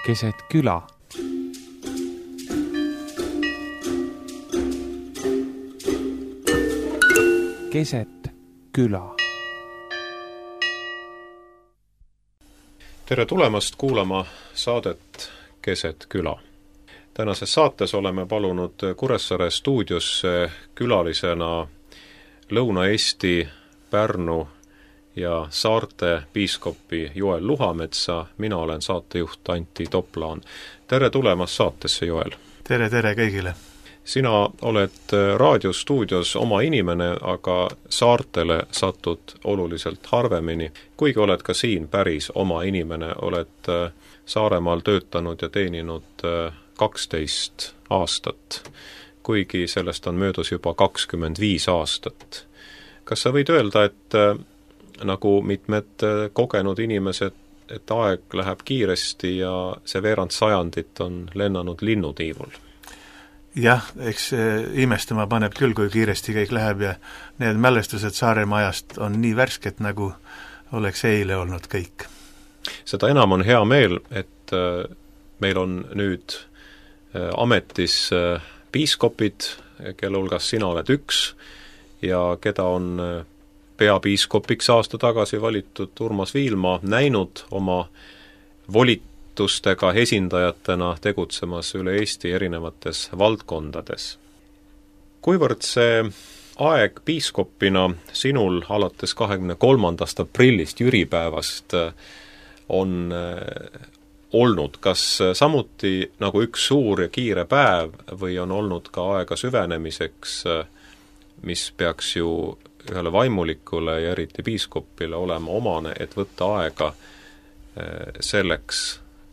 keset küla. Keset küla. Tere tulemast kuulama saadet Keset küla. Tänases saates oleme palunud Kuressaare stuudiosse külalisena Lõuna-Eesti, Pärnu ja Saarte piiskopi Joel Luhametsa. Mina olen saatejuht Antti Toplaan. Tere tulemast saatesse, Joel! Tere kõigile! Sina oled raadiostuudios oma inimene, aga saartele satud oluliselt harvemini. Kuigi oled ka siin päris oma inimene, oled Saaremaal töötanud ja teeninud 12 aastat, kuigi sellest on möödus juba 25 aastat. Kas sa võid öelda, et nagu mitmed kogenud inimesed, et aeg läheb kiiresti ja see veerand sajandit on lennanud linnutiivul? Jah, eks imestama paneb küll, kui kiiresti kõik läheb ja need mälestused Saaremaa ajast on nii värsked, nagu oleks eile olnud kõik. Seda enam on hea meel, et meil on nüüd ametis piiskopid, kelle hulgas sina oled üks ja keda on peapiiskopiks aasta tagasi valitud Urmas Viilma näinud oma volitustega esindajatena tegutsemas üle Eesti erinevates valdkondades. Kuivõrd see aeg piiskopina sinul alates 23. aprillist jüripäevast on olnud, kas samuti nagu üks suur ja kiire päev või on olnud ka aega süvenemiseks, mis peaks ju ühele vaimulikule ja eriti piiskopile olema omane, et võtta aega selleks,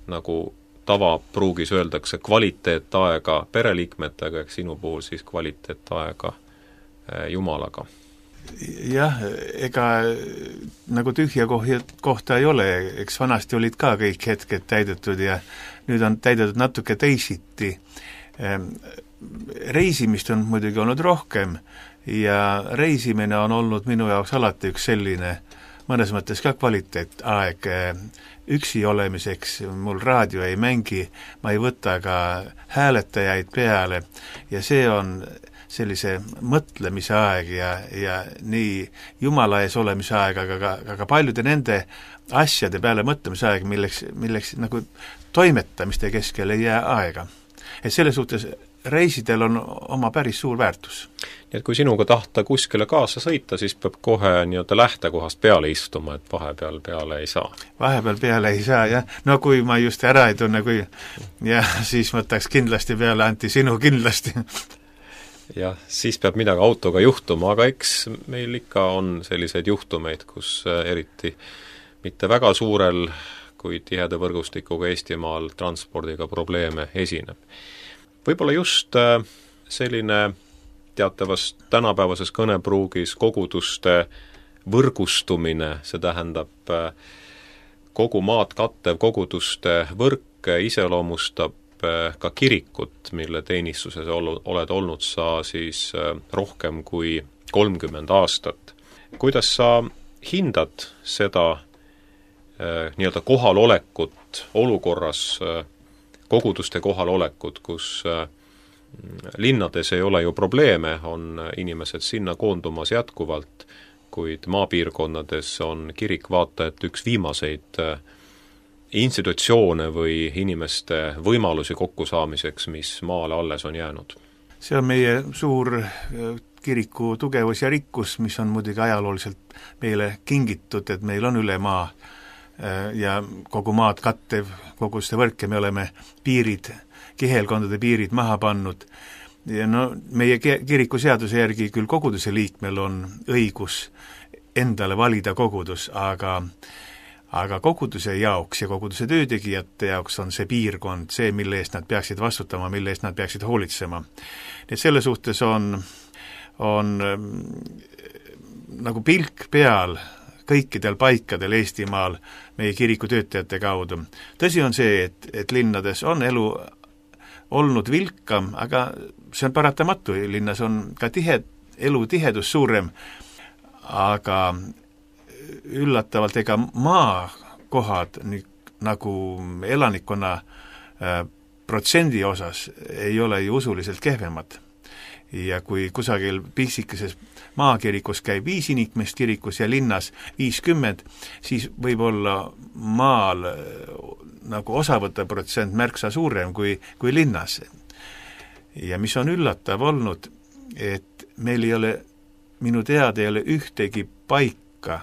nagu tavapruugis öeldakse, kvaliteetaega pereliikmetega, eks sinu puhul siis kvaliteetaega Jumalaga? Jah, ega nagu tühja kohta ei ole, eks vanasti olid ka kõik hetked täidetud ja nüüd on täidetud natuke teisiti. Reisimist on muidugi olnud rohkem ja reisimine on olnud minu jaoks alati üks selline mõnes mõttes ka kvaliteetaeg üksi olemiseks, mul raadio ei mängi, ma ei võta ka hääletajaid peale ja see on sellise mõtlemise aeg ja nii Jumala ees olemise aeg, aga paljude nende asjade peale mõtlemise aeg, milleks nagu toimetamiste keskel ei jää aega. Et selles suhtes reisidel on oma päris suur väärtus. Nii et kui sinuga tahta kuskile kaasa sõita, siis peab kohe nii-öelda lähtekohast peale istuma, et vahepeal peale ei saa. Vahepeal peale ei saa, jah. No kui ma just ära ei tunne, siis võtaks kindlasti peale, Antti, sinu kindlasti. Jah, siis peab midagi autoga juhtuma, aga eks meil ikka on selliseid juhtumeid, kus eriti mitte väga suurel kui tiheda võrgustikuga Eestimaal transpordiga probleeme esineb. Võib-olla just selline teatavast tänapäevases kõnepruugis koguduste võrgustumine, see tähendab kogu maad kattev koguduste võrk iseloomustab ka kirikut, mille teenistuses oled olnud sa siis rohkem kui 30 aastat. Kuidas sa hindad seda nii-öelda kohalolekut olukorras, koguduste kohalolekut, kus linnades ei ole ju probleeme, on inimesed sinna koondumas jätkuvalt, kuid maapiirkonnades on kirik vaata, et üks viimaseid institutsioone või inimeste võimalusi kokkusaamiseks, mis maale alles on jäänud. See on meie suur kiriku tugevus ja rikkus, mis on muidugi ajalooliselt meile kingitud, et meil on üle maa ja kogu maad kattev koguduste võrk ja me oleme kihelkondade piirid maha pannud. Ja meie kiriku seaduse järgi küll koguduse liikmel on õigus endale valida kogudus, aga koguduse jaoks ja koguduse töötegijate jaoks on see piirkond see, mille eest nad peaksid vastutama, mille eest nad peaksid hoolitsema. Nii et selle suhtes on nagu pilk peal kõikidel paikadel Eestimaal meie kiriku töötajate kaudu. Tõsi on see, et linnades on elu olnud vilkam, aga see on paratamatu, linnas on ka elutihedus suurem, aga üllatavalt ega maakohad nagu elanikkonna protsendi osas ei ole ju usuliselt kehvemad. Ja kui kusagil piksikeses maakirikus käib 5 inimest kirikus ja linnas 50, siis võib olla maal nagu osavõtte protsent märksa suurem kui linnas. Ja mis on üllatav olnud, et meil ei ole, minu teada ei ole ühtegi paika,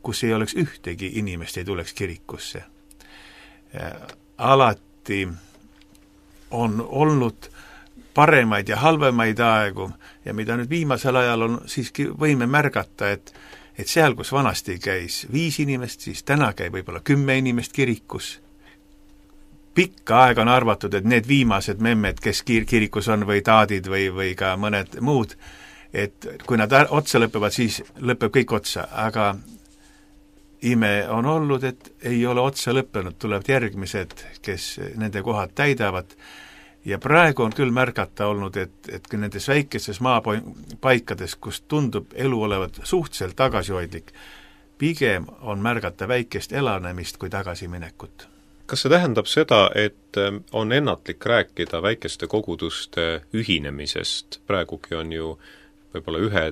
kus ei oleks ühtegi inimest ei tuleks kirikusse. Alati on olnud paremaid ja halvemaid aegu ja mida nüüd viimasel ajal on siiski võime märgata, et seal, kus vanasti käis 5 inimest, siis täna käib võib-olla 10 inimest kirikus. Pikka aega on arvatud, et need viimased memmed, kes kirikus on või taadid või ka mõned muud, et kui nad otsa lõpevad, siis lõpeb kõik otsa, aga ime on olnud, et ei ole otsa lõppenud, tulevad järgmised, kes nende kohad täidavad. Ja praegu on küll märgata olnud, et nendes väikestes maapaikades, kus tundub elu olevat suhteliselt tagasihoidlik, pigem on märgata väikest elanemist kui tagasiminekut. Kas see tähendab seda, et on ennatlik rääkida väikeste koguduste ühinemisest? Praegugi on ju võib-olla ühe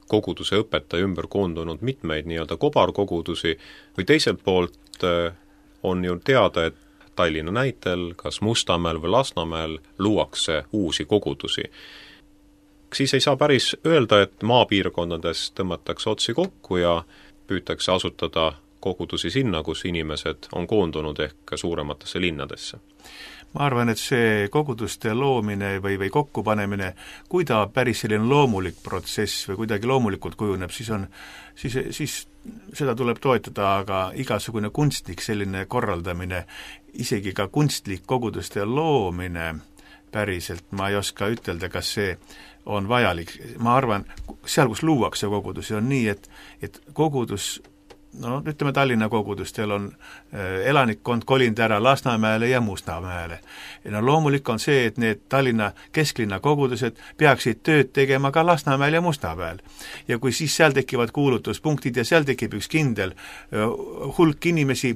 koguduse õpetaja ümber koondunud mitmeid nii-öelda kobarkogudusi või teiselt poolt on ju teada, et Tallinna näitel, kas Mustamäel või Lasnamäel luuakse uusi kogudusi. Siis ei saa päris öelda, et maapiirkondades tõmmatakse otsi kokku ja püütakse asutada kogudusi sinna, kus inimesed on koondunud ehk suurematesse linnadesse. Ma arvan, et see koguduste loomine või kokkupanemine, kui ta päris selline loomulik protsess või kuidagi loomulikult kujuneb, siis seda tuleb toetada, aga igasugune kunstlik selline korraldamine, isegi ka kunstlik koguduste loomine päriselt, ma ei oska ütelda, kas see on vajalik. Ma arvan, seal, kus luuakse kogudusi, on nii, et kogudus, no ütleme Tallinna kogudustel on elanikkond kolinud ära Lasnamäele ja Mustamäele. No loomulik on see, et need Tallinna kesklinna kogudused peaksid tööd tegema ka Lasnamäel ja Mustamäel. Ja kui siis seal tekivad kuulutuspunktid ja seal tekib üks kindel hulk inimesi,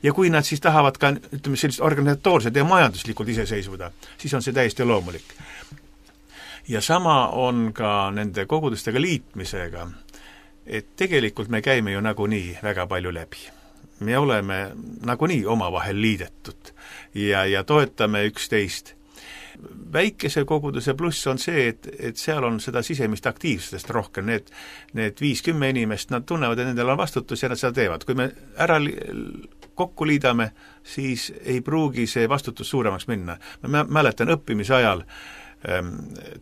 ja kui nad siis tahavad ka, ütleme, sellist organisatoorset ja majanduslikult iseseisvuda, siis on see täiesti loomulik. Ja sama on ka nende kogudustega liitmisega, et tegelikult me käime ju nagunii väga palju läbi. Me oleme nagunii omavahel liidetud ja toetame üksteist. Väikese koguduse pluss on see, et seal on seda sisemist aktiivsust rohkem. Need 5-10 inimest, nad tunnevad, et nendel on vastutus ja nad seda teevad. Kui me ära kokku liidame, siis ei pruugi see vastutus suuremaks minna. Ma mäletan õppimise ajal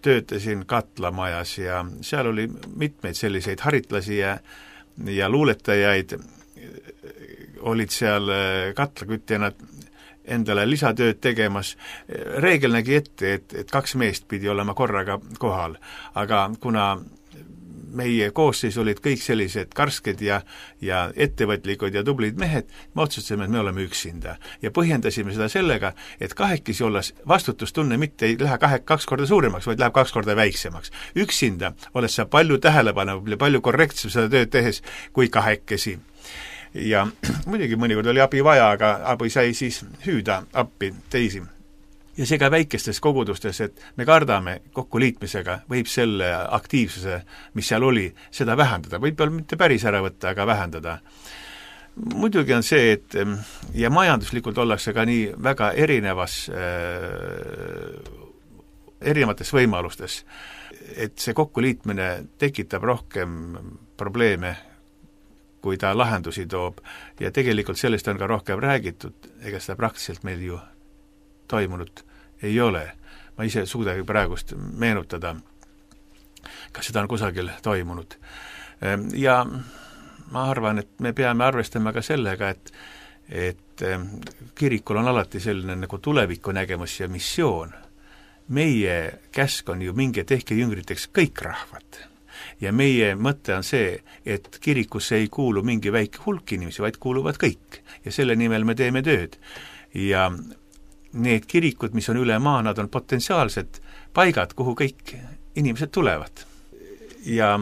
töötasin Katlamajas ja seal oli mitmeid selliseid haritlasi ja luuletajaid olid seal katlakütjana endale lisatööd tegemas. Reegel nägi ette, et 2 meest pidi olema korraga kohal, aga kuna meie koosseis olid kõik sellised karsked ja ettevõtlikud ja tublid mehed, me otsustasime, et me oleme üksinda. Ja põhjendasime seda sellega, et kahekesi olles vastutustunne mitte ei lähe 2 korda suuremaks, vaid läheb 2 korda väiksemaks. Üksinda olles sa palju tähelepanu ja palju korrektsem seda tööd tehes kui kahekesi. Ja muidugi mõnikord oli abi vaja, aga abi sai siis hüüda appi teisi. Ja see ka väikestes kogudustes, et me kardame kokkuliitmisega, võib selle aktiivsuse, mis seal oli, seda vähendada. Võib-olla mitte päris ära võtta, aga vähendada. Muidugi on see, et ja majanduslikult ollakse ka nii väga erinevates võimalustes, et see kokkuliitmine tekitab rohkem probleeme, kui ta lahendusi toob. Ja tegelikult sellest on ka rohkem räägitud, ega seda praktiliselt meil ju toimunud ei ole. Ma ise suudagi praegust meenutada, kas seda on kusagil toimunud. Ja ma arvan, et me peame arvestama ka sellega, et kirikul on alati selline nagu tuleviku nägemus ja missioon. Meie käsk on ju minge tehke jüngriteks kõik rahvad. Ja meie mõte on see, et kirikusse ei kuulu mingi väike hulk inimesi, vaid kuuluvad kõik. Ja selle nimel me teeme tööd. Ja need kirikud, mis on üle maa, nad on potentsiaalsed paigad, kuhu kõik inimesed tulevad. Ja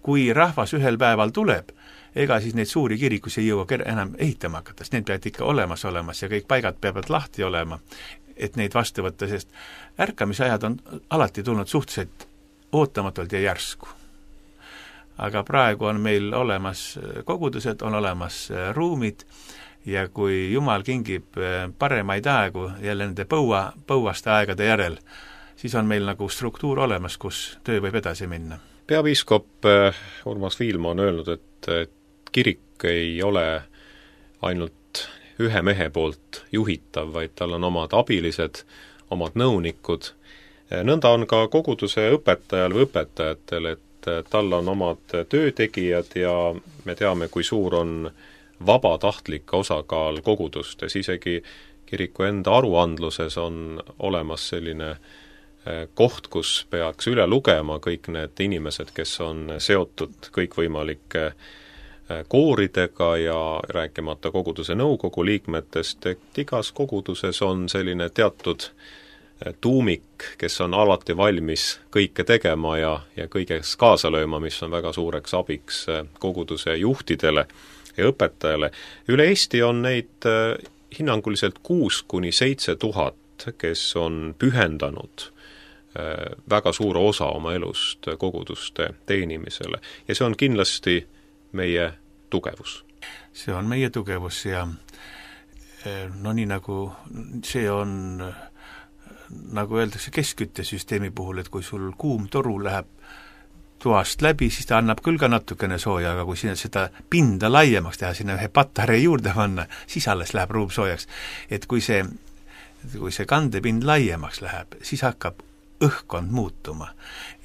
kui rahvas ühel päeval tuleb, ega siis neid suuri kirikusi ei jõua enam ehitama hakata, sest need peavad ikka olemas ja kõik paigad peavad lahti olema, et neid vastu võtta, sest ärkamisajad on alati tulnud suhteliselt ootamatult ja järsku. Aga praegu on meil olemas kogudused, on olemas ruumid ja kui Jumal kingib paremaid aegu jälle nende põuaste aegade järel, siis on meil nagu struktuur olemas, kus töö võib edasi minna. Peapiiskop Urmas Viilma on öelnud, et kirik ei ole ainult ühe mehe poolt juhitav, vaid tal on omad abilised, omad nõunikud. Nõnda on ka koguduse õpetajal või õpetajatel, et tal on omad töötegijad ja me teame, kui suur on vabatahtlik osakaal kogudustes, isegi kiriku enda aruandluses on olemas selline koht, kus peaks üle lugema kõik need inimesed, kes on seotud kõikvõimalike kooridega ja rääkimata koguduse nõukogu liikmetest, et igas koguduses on selline teatud tuumik, kes on alati valmis kõike tegema ja kõiges kaasa lööma, mis on väga suureks abiks koguduse juhtidele ja õpetajale. Üle Eesti on neid hinnanguliselt 6,000–7,000, kes on pühendanud väga suure osa oma elust koguduste teenimisele. Ja see on kindlasti meie tugevus. See on meie tugevus ja no nii nagu see on, nagu öeldakse keskküttesüsteemi puhul, et kui sul kuum toru läheb toast läbi, siis ta annab küll ka natukene sooja, aga kui sinna seda pinda laiemaks teha, sinna ühe patarei juurde panna, siis alles läheb ruum soojaks. Et kui see kandepind laiemaks läheb, siis hakkab õhkkond muutuma.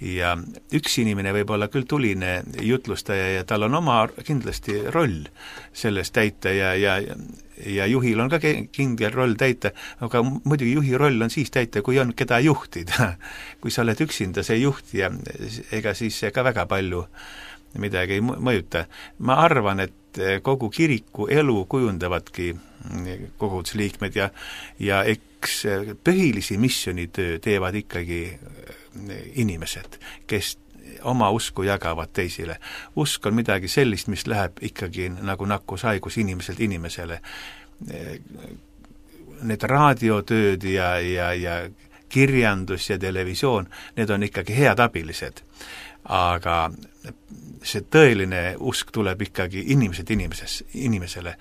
Ja üks inimene võib olla küll tuline jutlustaja ja tal on oma kindlasti roll selles täita ja juhil on ka kindel roll täita, aga muidugi juhi roll on siis täita, kui on keda juhtida. Kui sa oled üksinda see juht ja ega siis ka väga palju midagi ei mõjuta. Ma arvan, et kogu kiriku elu kujundavadki kogudusliikmed ja eks põhilisi missioonitöö teevad ikkagi inimesed, kes oma usku jagavad teisile. Usk on midagi sellist, mis läheb ikkagi nagu nakkushaigus inimeselt inimesele. Need raadiotööd ja kirjandus ja televisioon, need on ikkagi head abilised. Aga see tõeline usk tuleb ikkagi inimesele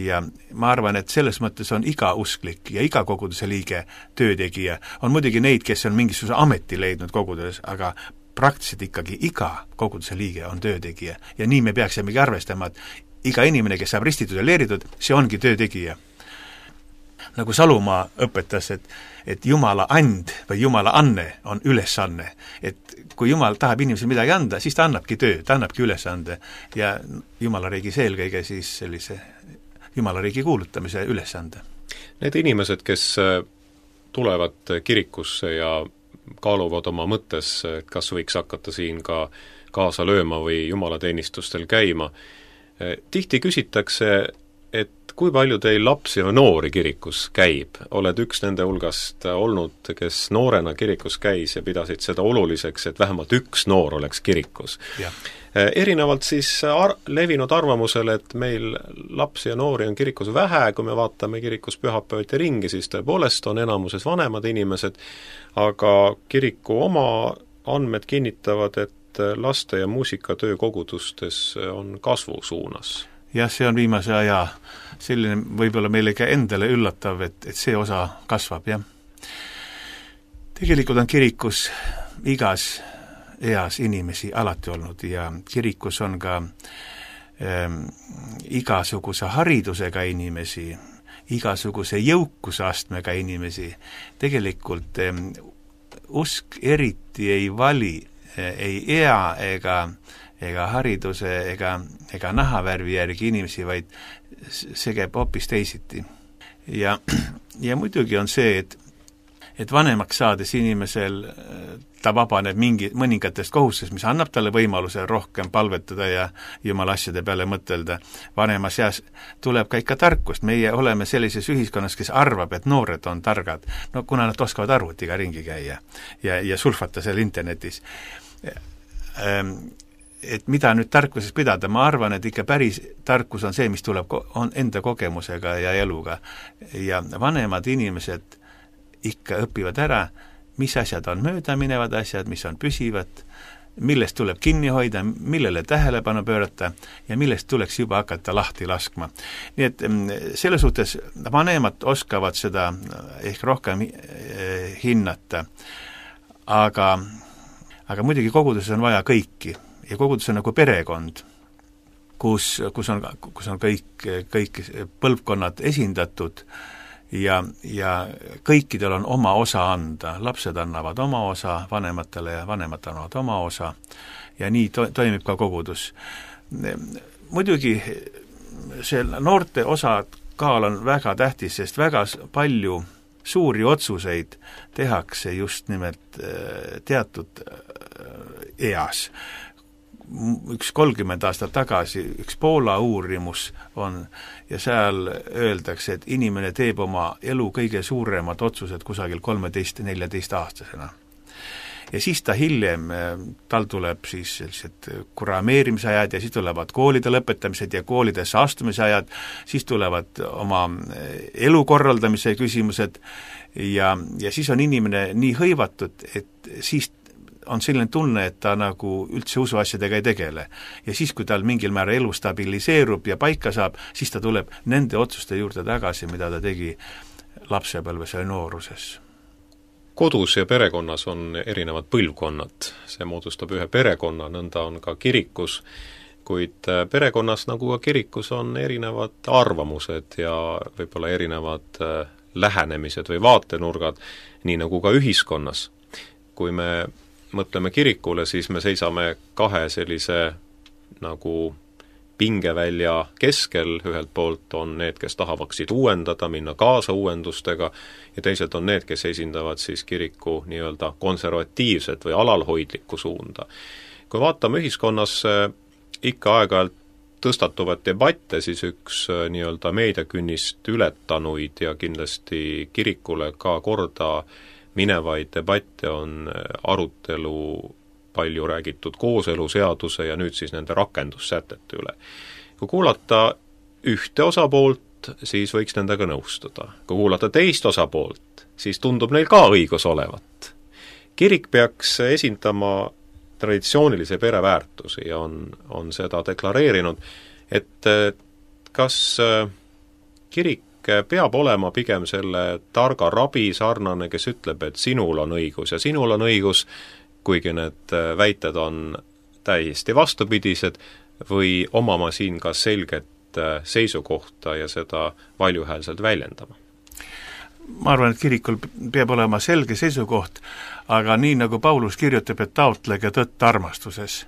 ja ma arvan, et selles mõttes on iga usklik ja iga koguduse liige töötegija. On muidugi neid, kes on mingisuguse ameti leidnud koguduses, aga praktiliselt ikkagi iga koguduse liige on töötegija ja nii me peaksimegi arvestama, et iga inimene, kes saab ristitud ja leeritud, see ongi töötegija. Nagu Salumaa õpetas, et Jumala and või Jumala anne on ülesanne. Et kui Jumal tahab inimesele midagi anda, siis ta annabki töö, ta annabki ülesande ja Jumala riigis eelkõige siis sellise Jumala riigi kuulutamise ülesande. Need inimesed, kes tulevad kirikusse ja kaaluvad oma mõttes, kas võiks hakata siin ka kaasa lööma või jumalateenistustel käima, tihti küsitakse, et kui palju teil lapsi ja noori kirikus käib? Oled üks nende hulgast olnud, kes noorena kirikus käis ja pidasid seda oluliseks, et vähemalt üks noor oleks kirikus. Ja. Erinevalt siis levinud arvamusele, et meil lapsi ja noori on kirikus vähe, kui me vaatame kirikus pühapäeviti ringi, siis tõepoolest on enamuses vanemad inimesed, aga kiriku oma andmed kinnitavad, et laste- ja muusikatöö kogudustes on kasvu suunas. Jah, see on viimase aja selline võib-olla meile ka endale üllatav, et see osa kasvab, jah. Tegelikult on kirikus igas eas inimesi alati olnud ja kirikus on ka igasuguse haridusega inimesi, igasuguse jõukusastmega inimesi. Tegelikult usk eriti ei vali, ei ea ega hariduse ega nahavärvi järgi inimesi, vaid see käib hoopis teisiti. Ja muidugi on see, et vanemaks saades inimesel ta vabaneb mõningatest kohustest, mis annab talle võimaluse rohkem palvetada ja Jumala asjade peale mõtelda. Vanemas eas tuleb ka ikka tarkust. Meie oleme sellises ühiskonnas, kes arvab, et noored on targad. No kuna nad oskavad arvutiga ringi käia ja sulfata seal internetis. et mida nüüd tarkuses pidada, ma arvan, et ikka päris tarkus on see, mis tuleb on enda kogemusega ja eluga. Ja vanemad inimesed ikka õpivad ära, mis asjad on möödaminevad asjad, mis on püsivad, millest tuleb kinni hoida, millele tähelepanu pöörata ja millest tuleks juba hakata lahti laskma. Nii et selle suhtes vanemad oskavad seda ehk rohkem hinnata, aga muidugi koguduses on vaja kõiki ja kogudus on nagu perekond, kus on kõik põlvkonnad esindatud ja kõikidel on oma osa anda. Lapsed annavad oma osa vanematele ja vanemad annavad oma osa ja nii toimib ka kogudus. Muidugi see noorte osa kaal on väga tähtis, sest väga palju suuri otsuseid tehakse just nimelt teatud eas. Üks 30 aastat tagasi üks Poola uurimus on ja seal öeldakse, et inimene teeb oma elu kõige suuremad otsused kusagil 13-14 aastasena. Ja siis ta hiljem, tal tuleb siis sellised kurameerimise ajad ja siis tulevad koolide lõpetamised ja koolidesse astumise ajad, siis tulevad oma elu korraldamise küsimused ja siis on inimene nii hõivatud, et siis on selline tunne, et ta nagu üldse usuasjadega ei tegele. Ja siis, kui tal mingil määral elu stabiliseerub ja paika saab, siis ta tuleb nende otsuste juurde tagasi, mida ta tegi lapsepõlves ja nooruses. Kodus ja perekonnas on erinevad põlvkonnad. See moodustab ühe perekonna, nõnda on ka kirikus, kuid perekonnas nagu ka kirikus on erinevad arvamused ja võib-olla erinevad lähenemised või vaatenurgad, nii nagu ka ühiskonnas. Kui me mõtleme kirikule, siis me seisame kahe sellise nagu pingevälja keskel, ühelt poolt on need, kes tahavaksid uuendada, minna kaasa uuendustega ja teised on need, kes esindavad siis kiriku nii-öelda konservatiivset või alalhoidlikku suunda. Kui vaatame ühiskonnas ikka aeg-ajalt tõstatuvad debatte, siis üks nii-öelda meediakünnist ületanuid ja kindlasti kirikule ka korda minevaid debatte on arutelu palju räägitud kooseluseaduse ja nüüd siis nende rakendussätete üle. Kui kuulata ühte osapoolt, siis võiks nendega nõustuda. Kui kuulata teist osapoolt, siis tundub neil ka õigus olevat. Kirik peaks esindama traditsioonilise pereväärtusi ja on seda deklareerinud, et kas kirik peab olema pigem selle targa rabi sarnane, kes ütleb, et sinul on õigus ja sinul on õigus, kuigi need väited on täiesti vastupidised, või omama siin ka selget seisukohta ja seda valjuhäälselt väljendama? Ma arvan, et kirikul peab olema selge seisukoht, aga nii nagu Paulus kirjutab, et taotlege tõtt armastuses.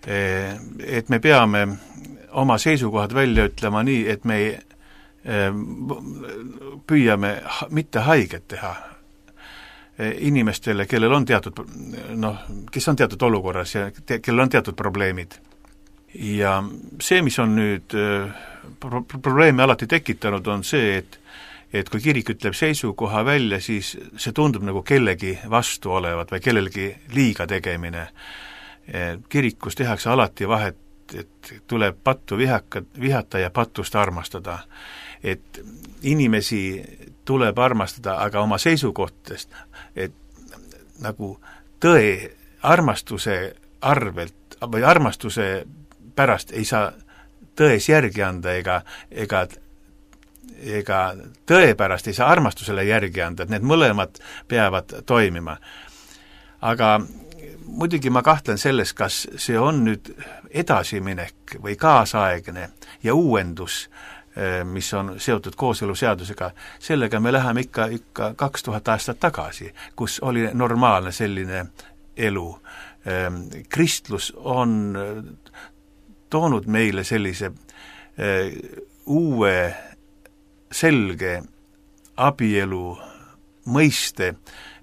Et me peame oma seisukohad välja ütlema nii, et me püüame mitte haiget teha inimestele, kellel on teatud, kes on teatud olukorras ja kellel on teatud probleemid. Ja see, mis on nüüd probleemi alati tekitanud, on see, et kui kirik ütleb seisukoha välja, siis see tundub nagu kellegi vastu olevat või kellelgi liiga tegemine. Kirikus tehakse alati vahet, et tuleb pattu vihata ja patust armastada. Et inimesi tuleb armastada, aga oma seisukohtest, et nagu tõe armastuse arvelt või armastuse pärast ei saa tões järgi anda ega tõe pärast ei saa armastusele järgi anda, et need mõlemad peavad toimima. Aga muidugi ma kahtlen selles, kas see on nüüd edasiminek või kaasaegne ja uuendus, mis on seotud kooseluseadusega, sellega me läheme ikka 2000 aastat tagasi, kus oli normaalne selline elu. Kristlus on toonud meile sellise uue selge abielu mõiste,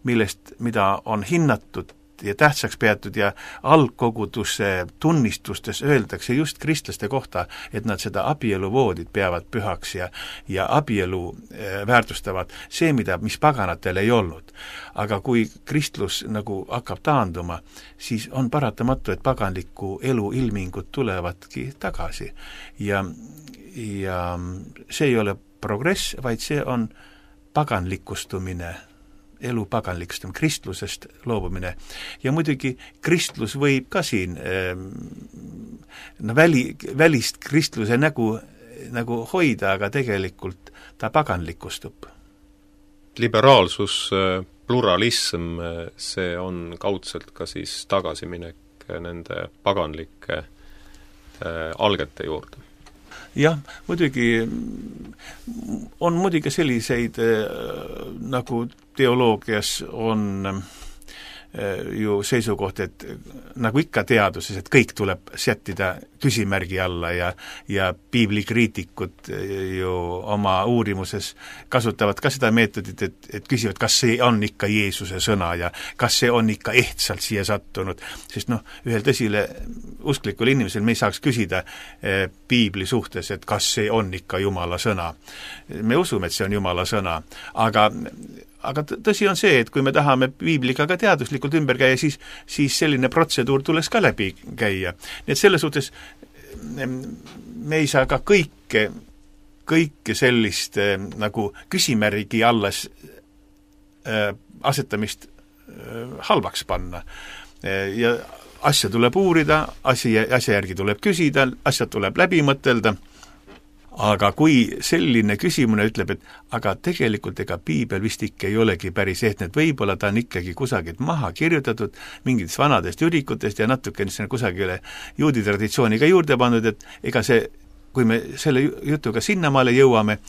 mida on hinnatud ja tähtsaks peetud ja algkoguduse tunnistustes öeldakse just kristlaste kohta, et nad seda abieluvoodit peavad pühaks ja abielu väärtustavad see, mis paganatel ei olnud. Aga kui kristlus nagu hakkab taanduma, siis on paratamatu, et paganliku elu ilmingud tulevadki tagasi. Ja see ei ole progress, vaid see on paganlikustumine, elu paganlikustumine, kristlusest loobumine. Ja muidugi kristlus võib ka siin välist kristluse nagu hoida, aga tegelikult ta paganlikustub. Liberaalsus, pluralism, see on kaudselt ka siis tagasiminek nende paganlike algete juurde. Jah, muidugi on muidugi selliseid nagu teoloogias on ju seisukoht, et nagu ikka teaduses, et kõik tuleb sättida küsimärgi alla ja piiblikriitikud ju oma uurimuses kasutavad ka seda meetodit, et küsivad, kas see on ikka Jeesuse sõna ja kas see on ikka ehtsalt siia sattunud, sest ühel tõsile usklikul inimesel me ei saaks küsida piibli suhtes, et kas see on ikka Jumala sõna. Me usume, et see on Jumala sõna, aga tõsi on see, et kui me tahame piibliga ka teaduslikult ümber käia, siis selline protseduur tuleks ka läbi käia. Nii et selles suhtes me ei saa ka kõike sellist nagu küsimärgi alles asetamist halvaks panna. Ja asja tuleb uurida, asja järgi tuleb küsida, asjad tuleb läbi mõtelda. Aga kui selline küsimune ütleb, et aga tegelikult ega piibel vist ikka ei olegi päris ehtne, et võib-olla ta on ikkagi kusagilt maha kirjutatud mingitest vanadest jürikutest ja natuke kusagile juudi traditsiooniga juurde pandud, et ega see, kui me selle jutuga sinnamaale jõuame,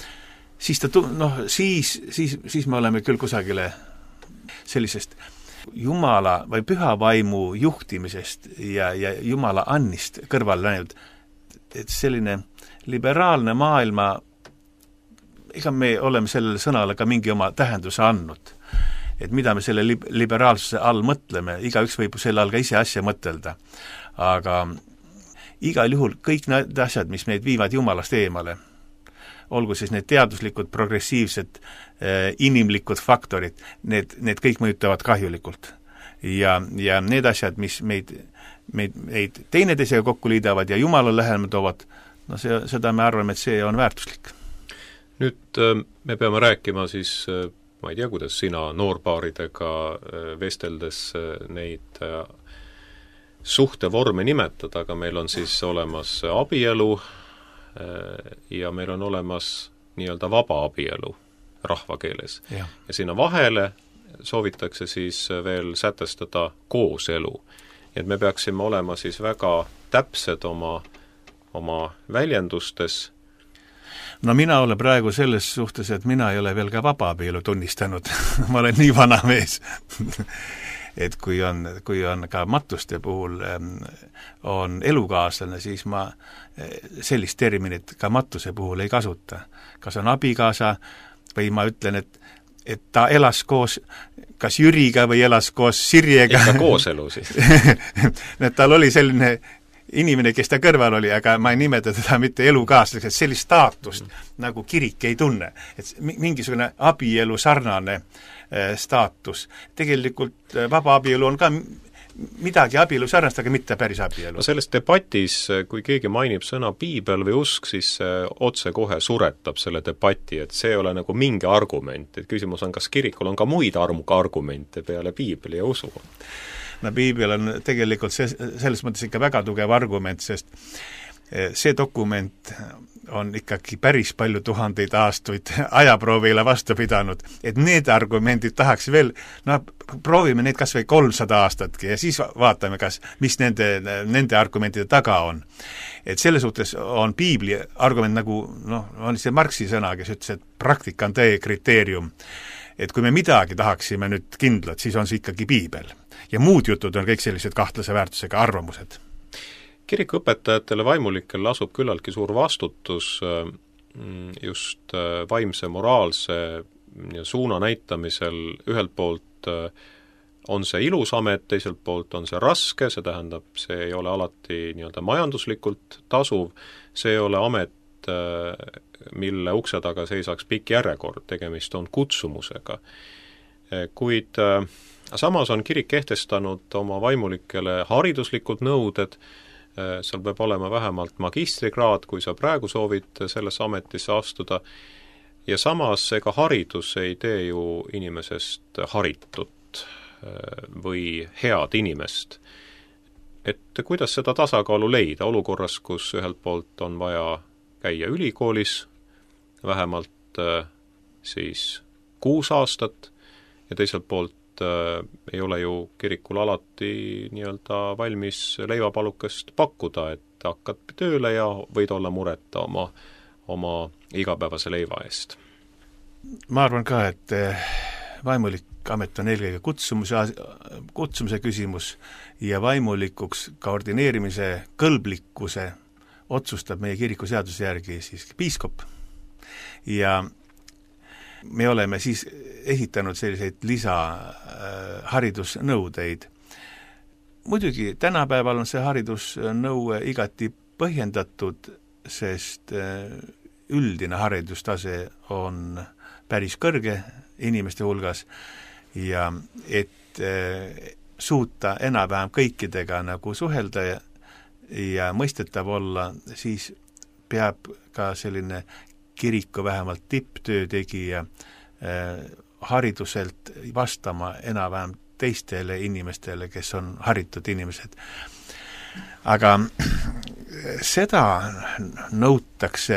siis siis me oleme küll kusagile sellisest Jumala või püha vaimu juhtimisest ja Jumala annist kõrval läinud, et selline liberaalne maailma, ega me oleme sellele sõnale ka mingi oma tähenduse andnud. Et mida me selle liberaalsuse all mõtleme, igaüks võib selle all ka ise asja mõtelda. Aga igal juhul kõik need asjad, mis meid viivad Jumalast eemale, olgu siis need teaduslikud, progressiivsed, inimlikud faktorid, need kõik mõjutavad kahjulikult. Ja need asjad, mis meid teineteisega kokku liidavad ja Jumala lähemale toovad, seda me arvame, et see on väärtuslik. Nüüd me peame rääkima siis, ma ei tea, kuidas sina noorpaaridega vesteldes neid suhtevorme nimetada, aga meil on siis olemas abielu ja meil on olemas nii-öelda vaba abielu rahvakeeles. Ja sinna vahele soovitakse siis veel sätestada kooselu. Et me peaksime olema siis väga täpsed oma väljendustes. No mina olen praegu selles suhtes, et mina ei ole veel ka vaba abielu tunnistanud. Ma olen nii vana mees. Et kui on ka matuste puhul on elukaaslane, siis ma sellist terminit ka matuse puhul ei kasuta. Kas on abikaasa või ma ütlen, et ta elas koos kas Jüriga või elas koos Sirjega. Ikka kooselu siis. Tal oli selline inimene, kes ta kõrval oli, aga ma ei nimeta teda mitte elukaaslaseks, et sellist staatust nagu kirik ei tunne. Et mingisugune abielu sarnane staatus. Tegelikult vaba abielu on ka midagi abielu sarnast, aga mitte päris abielu. No selles debatis, kui keegi mainib sõna piibel või usk, siis otse kohe suretab selle debati, et see ei ole nagu mingi argument, et küsimus on, kas kirikul on ka muid argumente peale piibli ja usu. No piibel on tegelikult selles mõttes ikka väga tugev argument, sest see dokument on ikkagi päris palju tuhandeid aastaid ajaproovile vastu pidanud, et need argumendid tahaks veel, proovime neid kas või 300 aastatki ja siis vaatame, mis nende argumentide taga on. Et selle suhtes on piibli argument nagu, on see Marxi sõna, kes ütles, et praktika on tõe kriteerium. Et kui me midagi tahaksime nüüd kindlat, siis on see ikkagi piibel. Ja muud jutud on kõik sellised kahtlase väärtusega arvamused. Kirikuõpetajatele vaimulikel asub küllaltki suur vastutus just vaimse moraalse suuna näitamisel ühelt poolt on see ilus amet, teiselt poolt on see raske, see tähendab, see ei ole alati nii-öelda majanduslikult tasuv, see ei ole amet, mille ukse taga seisaks pikk järjekord, tegemist on kutsumusega. Kuid samas on kirik kehtestanud oma vaimulikele hariduslikud nõuded, seal peab olema vähemalt magistrikraad, kui sa praegu soovid sellesse ametisse astuda, ja samas ega haridus ei tee ju inimesest haritut või head inimest. Et kuidas seda tasakaalu leida olukorras, kus ühelt poolt on vaja käia ülikoolis vähemalt siis 6 aastat ja teiselt poolt ei ole ju kirikul alati nii-öelda valmis leivapalukest pakkuda, et hakkad tööle ja võid olla mureta oma igapäevase leiva eest. Ma arvan ka, et vaimulik amet on eelkõige kutsumuse küsimus ja vaimulikuks ka ordineerimise kõlblikkuse otsustab meie kiriku seaduse järgi siis piiskop. Ja me oleme siis esitanud selliseid lisaharidusnõudeid. Muidugi tänapäeval on see haridusnõue igati põhjendatud, sest üldine haridustase on päris kõrge inimeste hulgas ja et suuta enam-vähem kõikidega nagu suhelda ja mõistetav olla, siis peab ka selline kiriku vähemalt tipptöö tegija hariduselt vastama enam-vähem teistele inimestele, kes on haritud inimesed. Aga seda nõutakse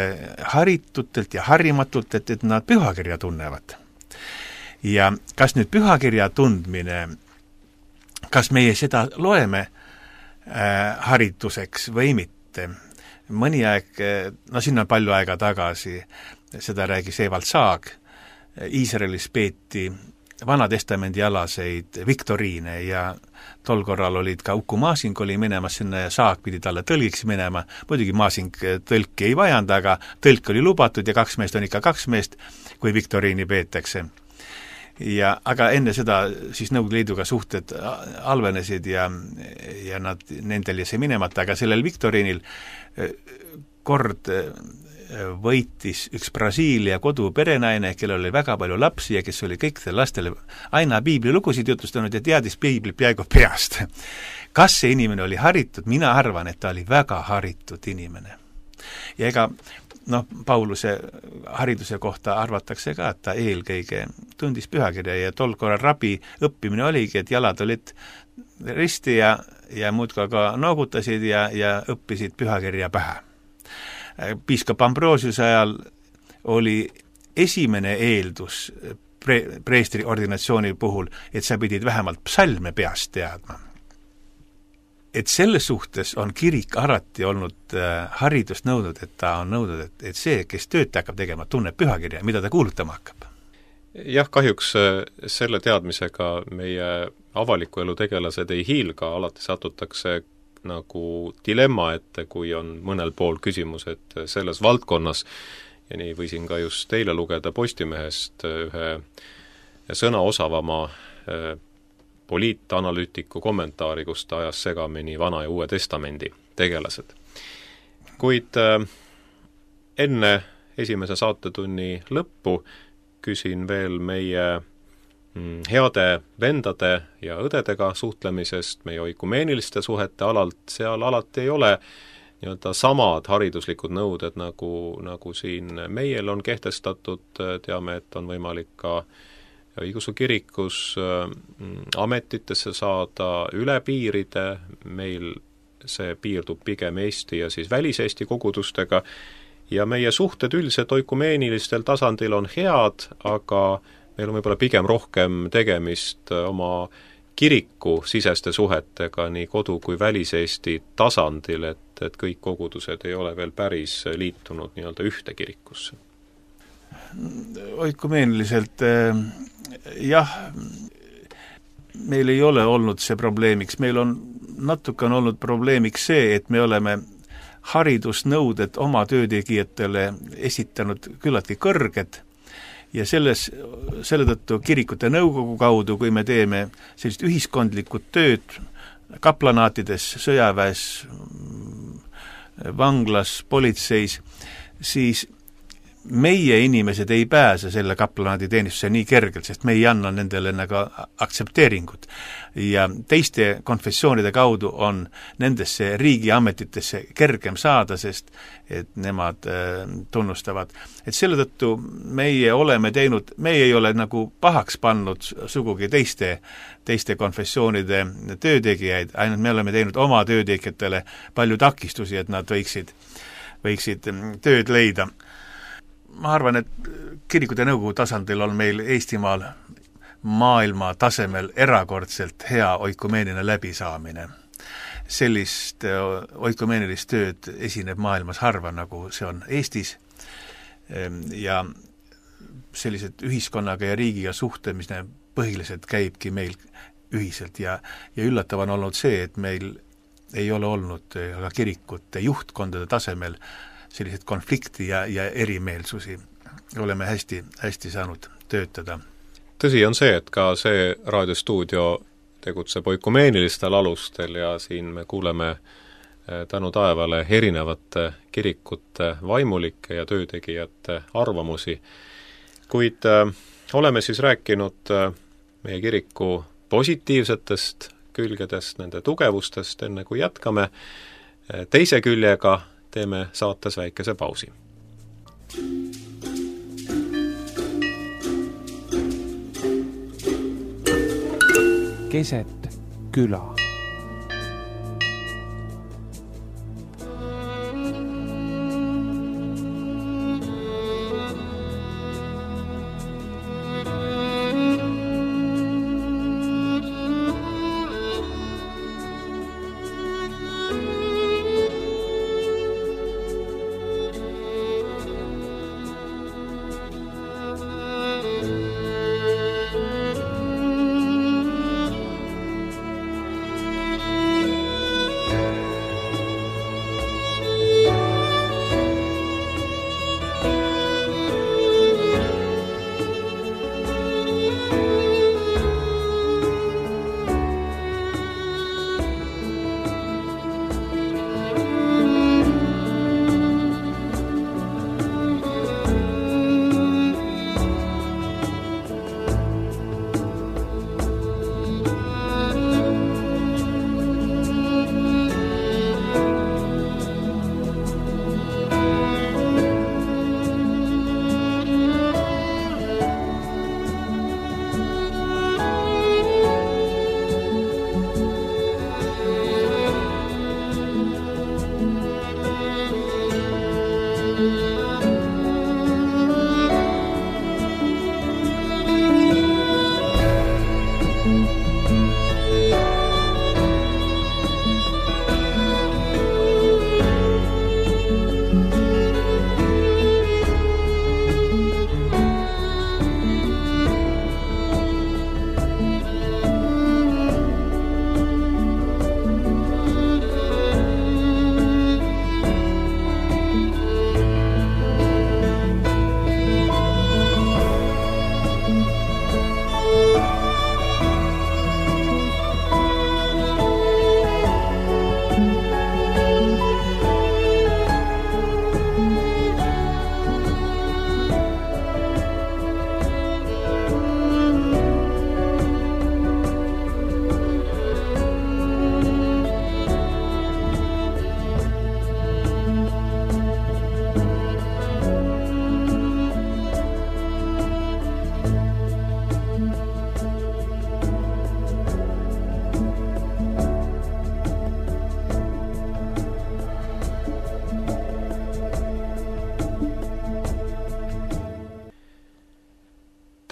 haritutelt ja harimatult, et nad pühakirja tunnevad. Ja kas nüüd pühakirja tundmine, kas meie seda loeme harituseks või mitte? Mõni aeg, sinna palju aega tagasi, seda räägis Evald Saag, Iisraelis peeti Vanatestamendi alaseid viktoriine ja tol korral olid ka Uku Masing oli minemas sinna ja Saag pidi talle tõlgiks minema, muidugi Masing tõlki ei vajanud, aga tõlk oli lubatud ja 2 meest on ikka 2 meest, kui viktoriini peetakse. Aga enne seda siis Nõukogude Liiduga suhted halvenesid ja nendel jäi minemata, aga sellel viktoriinil kord võitis üks Brasiilia koduperenaine, kellel oli väga palju lapsi ja kes oli kõikidele lastele aina piiblilugusid jutustanud ja teadis piiblit peaaegu peast. Kas see inimene oli haritud? Mina arvan, et ta oli väga haritud inimene. Ja ega Pauluse hariduse kohta arvatakse ka, et ta eelkõige tundis pühakirja ja tol korral rabi õppimine oligi, et jalad olid risti ja muudka ka noogutasid ja õppisid pühakirja pähe. Piiskop Ambrosiuse ajal oli esimene eeldus preestri ordinatsiooni puhul, et sa pidid vähemalt psalme peast teadma. Et selles suhtes on kirik alati olnud haridust nõudnud, et ta on nõudnud, et see, kes tööd hakkab tegema, tunneb pühakirja, mida ta kuulutama hakkab. Jah, kahjuks selle teadmisega meie avaliku elu tegelased ei hiilga, alati satutakse nagu dilemma ette, kui on mõnel pool küsimus, et selles valdkonnas, ja nii võisin ka just teile lugeda Postimehest ühe sõna osavama poliitanalüütiku kommentaari, kus ta ajas segamini Vana ja Uue Testamendi tegelased. Kuid enne esimese saatetunni lõppu küsin veel meie heade vendade ja õdedega suhtlemisest, meie oikumeeniliste suhete alalt, seal alati ei ole nii-öelda samad hariduslikud nõuded, nagu siin meil on kehtestatud, teame, et on võimalik ka õigeusu kirikus ametitesse saada üle piiride, meil see piirdub pigem Eesti ja siis väliseesti kogudustega ja meie suhted üldiselt oikumeenilistel tasandil on head, aga meil on võib-olla pigem rohkem tegemist oma kiriku siseste suhetega nii kodu- kui väliseesti tasandil, et kõik kogudused ei ole veel päris liitunud nii-öelda ühte kirikusse. Oikumeeniliselt jah, meil ei ole olnud see probleemiks, meil on natuke olnud probleemiks see, et me oleme haridusnõuded oma töötegijatele esitanud küllaltki kõrged ja selle tõttu kirikute nõukogu kaudu, kui me teeme sellist ühiskondlikku tööd kaplanaatides, sõjaväes, vanglas, politseis, siis meie inimesed ei pääse selle kaplanaadi teenistuse nii kergelt, sest me ei anna nendele nagu aktsepteeringut. Ja teiste konfessioonide kaudu on nendesse riigiametitesse kergem saada, sest et nemad tunnustavad. Et selle tõttu meie ei ole nagu pahaks pannud sugugi teiste konfessioonide töötegijaid, ainult me oleme teinud oma töötegijatele palju takistusi, et nad võiksid tööd leida. Ma arvan, et kirikute nõukogu tasandil on meil Eestimaal maailma tasemel erakordselt hea oikumeeniline läbisaamine. Sellist oikumeenilist tööd esineb maailmas harva, nagu see on Eestis, ja sellised ühiskonnaga ja riigiga suhtlemine põhiliselt käibki meil ühiselt ja üllatav on olnud see, et meil ei ole olnud ka kirikute juhtkondade tasemel sellised konflikti ja erimeelsusi. Oleme hästi saanud töötada. Tõsi on see, et ka see raadiostuudio tegutseb oikumeenilistetel alustel ja siin me kuuleme tänu taevale erinevate kirikute vaimulike ja töötegijate arvamusi. Kuid oleme siis rääkinud meie kiriku positiivsetest külgedest, nende tugevustest, enne kui jätkame teise küljega, teeme saates väikese pausi. Keset küla.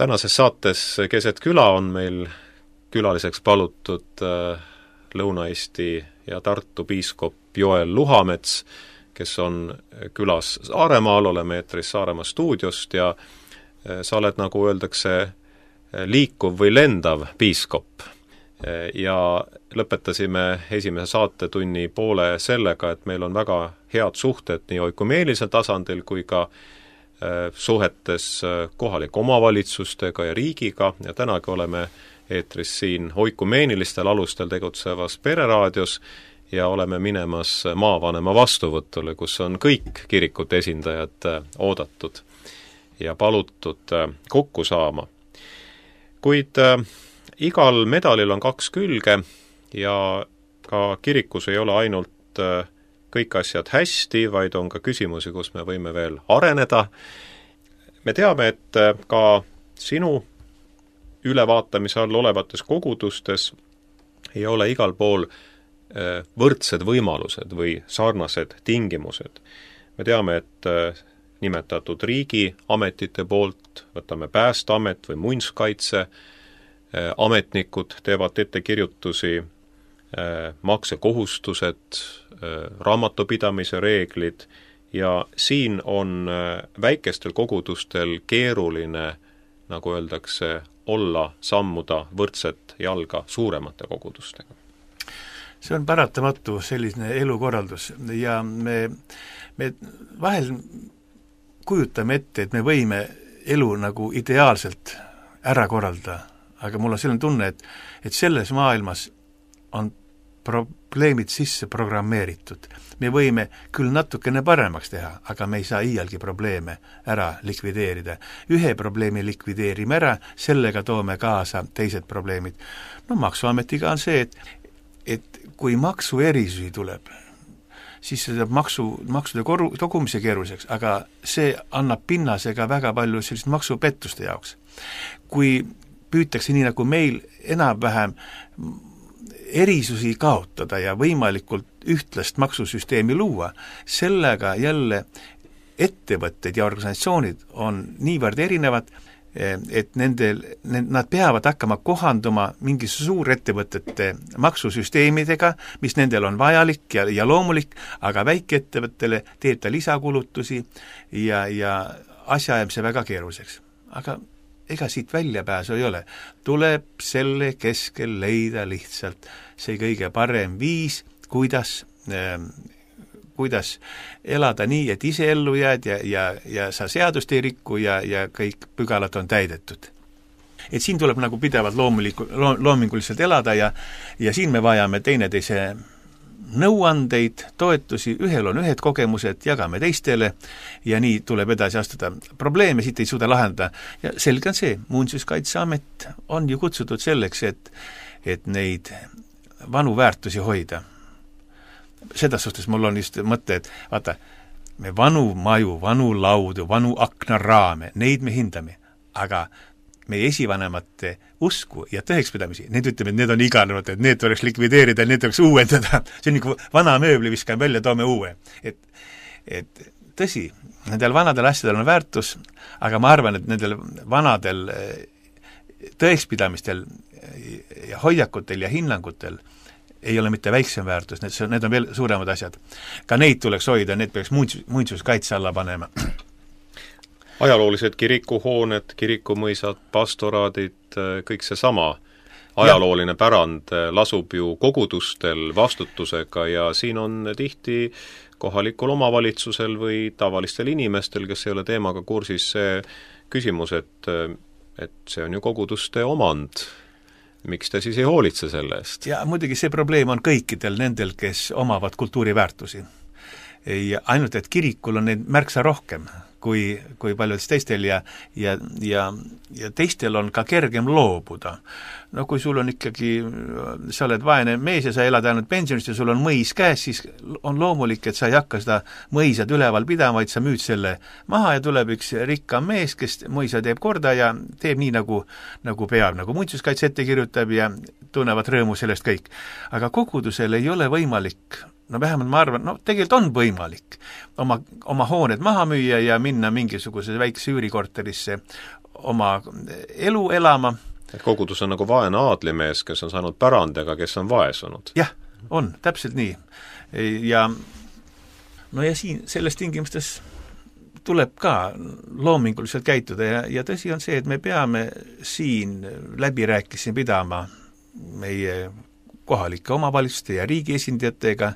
Tänases saates Keset küla on meil külaliseks palutud Lõuna-Eesti ja Tartu piiskop Joel Luhamets, kes on külas Saaremaal, oleme eetris Saaremaa stuudiost ja sa oled, nagu öeldakse, liikuv või lendav piiskop. Ja lõpetasime esimese saatetunni poole sellega, et meil on väga head suhted nii oikumeenisel tasandil kui ka suhetes kohalike omavalitsustega ja riigiga ja tänagi oleme eetris siin oikumeeniliste alustel tegutsevas Pereraadios ja oleme minemas maavanema vastuvõtule, kus on kõik kirikute esindajad oodatud ja palutud kokku saama. Kuid igal medalil on kaks külge ja ka kirikus ei ole ainult kõik asjad hästi, vaid on ka küsimusi, kus me võime veel areneda. Me teame, et ka sinu ülevaatamise all olevates kogudustes ei ole igal pool võrdsed võimalused või sarnased tingimused. Me teame, et nimetatud riigiametite poolt, võtame Päästeamet või muinsuskaitse, ametnikud teevad ettekirjutusi, maksekohustused, raamatupidamise reeglid ja siin on väikestel kogudustel keeruline, nagu öeldakse, olla sammuda võrdset jalga suuremate kogudustega. See on paratamatu selline elukorraldus ja me vahel kujutame ette, et me võime elu nagu ideaalselt ära korraldada, aga mul on selline tunne, et selles maailmas on probleemid sisse programmeeritud. Me võime küll natukene paremaks teha, aga me ei saa iialgi probleeme ära likvideerida. Ühe probleemi likvideerime ära, sellega toome kaasa teised probleemid. No maksuametiga on see, et kui maksuerisusi tuleb, siis see teeb maksude kogumise keeruliseks, aga see annab pinnase ka väga palju sellist maksupettuste jaoks. Kui püütakse nii nagu meil enam-vähem erisusi kaotada ja võimalikult ühtlast maksusüsteemi luua, sellega jälle ettevõtted ja organisatsioonid on niivõrd erinevad, et nad peavad hakkama kohanduma mingi suurettevõtete maksusüsteemidega, mis nendel on vajalik ja loomulik, aga väikeettevõttele teeb ta lisakulutusi ja asja jääb see väga keeruliseks. Aga ega siit väljapääsu ei ole. Tuleb selle keskel leida lihtsalt see kõige parem viis, kuidas elada nii, et ise ellu jääd ja sa seadust ei rikku ja kõik pügalad on täidetud. Et siin tuleb nagu pidevalt loominguliselt elada ja siin me vajame teineteise nõuandeid, toetusi, ühel on ühed kogemused, jagame teistele ja nii tuleb edasi astuda. Probleeme siit ei suuda lahendada ja selge on see, Muinsuskaitseamet on ju kutsutud selleks, et neid vanu väärtusi hoida. Selles suhtes mul on just mõte, et vaata, me vanu maju, vanu laudu, vanu aknaraame, neid me hindame, aga meie esivanemate usku ja tõekspidamisi, need ütleme, et need on iganevad, et need tuleks likvideerida, need tuleks uuendada. See on nagu vana mööbli viskame välja, toome uue. Et tõsi, nendel vanadel asjadel on väärtus, aga ma arvan, et nendel vanadel tõekspidamistel ja hoiakutel ja hinnangutel ei ole mitte väiksem väärtus, need on veel suuremad asjad. Ka neid tuleks hoida, need peaks muinsuskaitse alla panema. Ajaloolised kirikuhooned, kirikumõisad, pastoraadid, kõik see sama ajalooline pärand lasub ju kogudustel vastutusega ja siin on tihti kohalikul omavalitsusel või tavalistel inimestel, kes ei ole teemaga kursis, see küsimus, et see on ju koguduste omand. Miks te siis ei hoolitse selle eest? Ja muidugi see probleem on kõikidel nendel, kes omavad kultuuriväärtusi. Ja ainult, et kirikul on neid märksa rohkem kui paljudes teistel ja teistel on ka kergem loobuda. No kui sul on ikkagi, sa oled vaene mees ja sa elad ainult pensionist ja sul on mõis käes, siis on loomulik, et sa ei hakka seda mõisad üleval pidama, vaid sa müüd selle maha ja tuleb üks rikkam mees, kes mõisa teeb korda ja teeb nii, nagu peab, nagu muinsuskaitse ette kirjutab ja tunnevad rõõmu sellest kõik. Aga kogudusel ei ole võimalik, no vähemalt ma arvan, tegelikult on võimalik oma hooned maha müüa ja minna mingisuguse väikse üürikorterisse oma elu elama. Et kogudus on nagu vaene aadlimees, kes on saanud pärandega, kes on vaesunud. Jah, on, täpselt nii. Ja siin selles tingimustes tuleb ka loominguliselt käituda ja tõsi on see, et me peame siin läbirääkimisi pidama meie kohalike omavalitsuste ja riigi esindajatega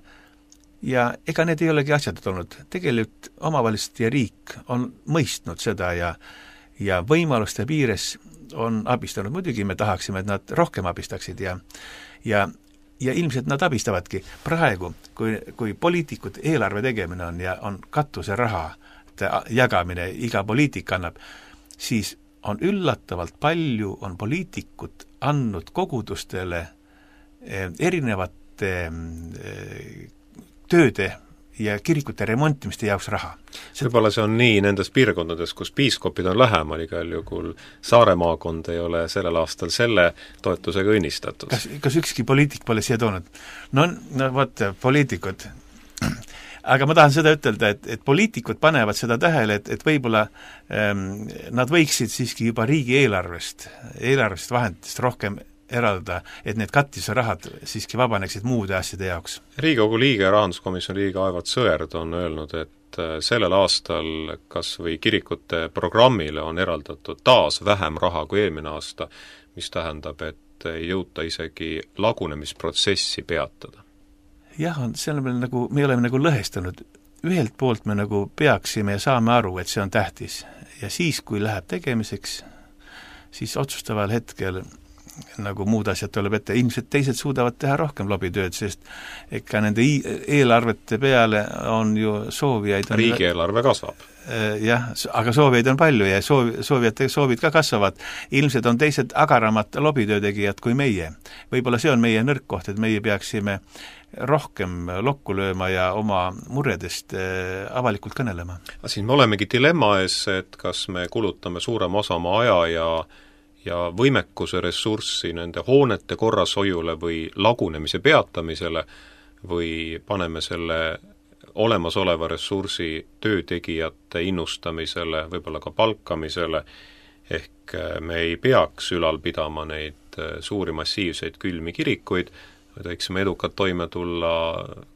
ja ega need ei olegi asjad olnud. Tegelikult omavalitsused ja riik on mõistnud seda ja võimaluste piires on abistanud. Muidugi me tahaksime, et nad rohkem abistaksid ja ilmselt nad abistavadki. Praegu, kui poliitikud eelarve tegemine on ja on katuseraha jagamine, iga poliitik annab, siis on üllatavalt palju on poliitikud andnud kogudustele erinevate tööde ja kirikute remontimiste jaoks raha. Võib-olla see on nii nendes piirkondades, kus piiskopid on lähemal, igal juhul Saare maakond ei ole sellel aastal selle toetusega õnnistatud. Kas ükski poliitik pole siia toonud? No vot, poliitikud. Aga ma tahan seda ütelda, et poliitikud panevad seda tähele, et võib-olla nad võiksid siiski juba riigi eelarvest vahenditest rohkem eraldada, et need katisrahad siiski vabaneksid muude asjade jaoks. Riigikogu liige, rahanduskomisjoni liige Aivart Sõerd on öelnud, et sellel aastal kas või kirikute programmile on eraldatud taas vähem raha kui eelmine aasta, mis tähendab, et ei jõuta isegi lagunemisprotsessi peatada. Jah, me oleme nagu lõhestunud. Ühelt poolt me nagu peaksime ja saame aru, et see on tähtis. Ja siis, kui läheb tegemiseks, siis otsustaval hetkel nagu muud asjad tuleb ette. Ilmselt teised suudavad teha rohkem lobitööd, sest ikka nende eelarvete peale on ju soovijaid. Riigieelarve kasvab. Jah, aga soovijaid on palju ja soovijate soovid ka kasvavad. Ilmselt on teised agaramad lobitöötegijad kui meie. Võib-olla see on meie nõrk koht, et meie peaksime rohkem lokku lööma ja oma muredest avalikult kõnelema. Siin me olemegi dilemma ees, et kas me kulutame suurema osa oma aja ja võimekuse ressurssi nende hoonete korrashoiule või lagunemise peatamisele või paneme selle olemasoleva ressursi töötegijate innustamisele, võib-olla ka palkamisele, ehk me ei peaks ülal pidama neid suuri massiivseid külmi kirikuid, vaid võiksime edukalt toime tulla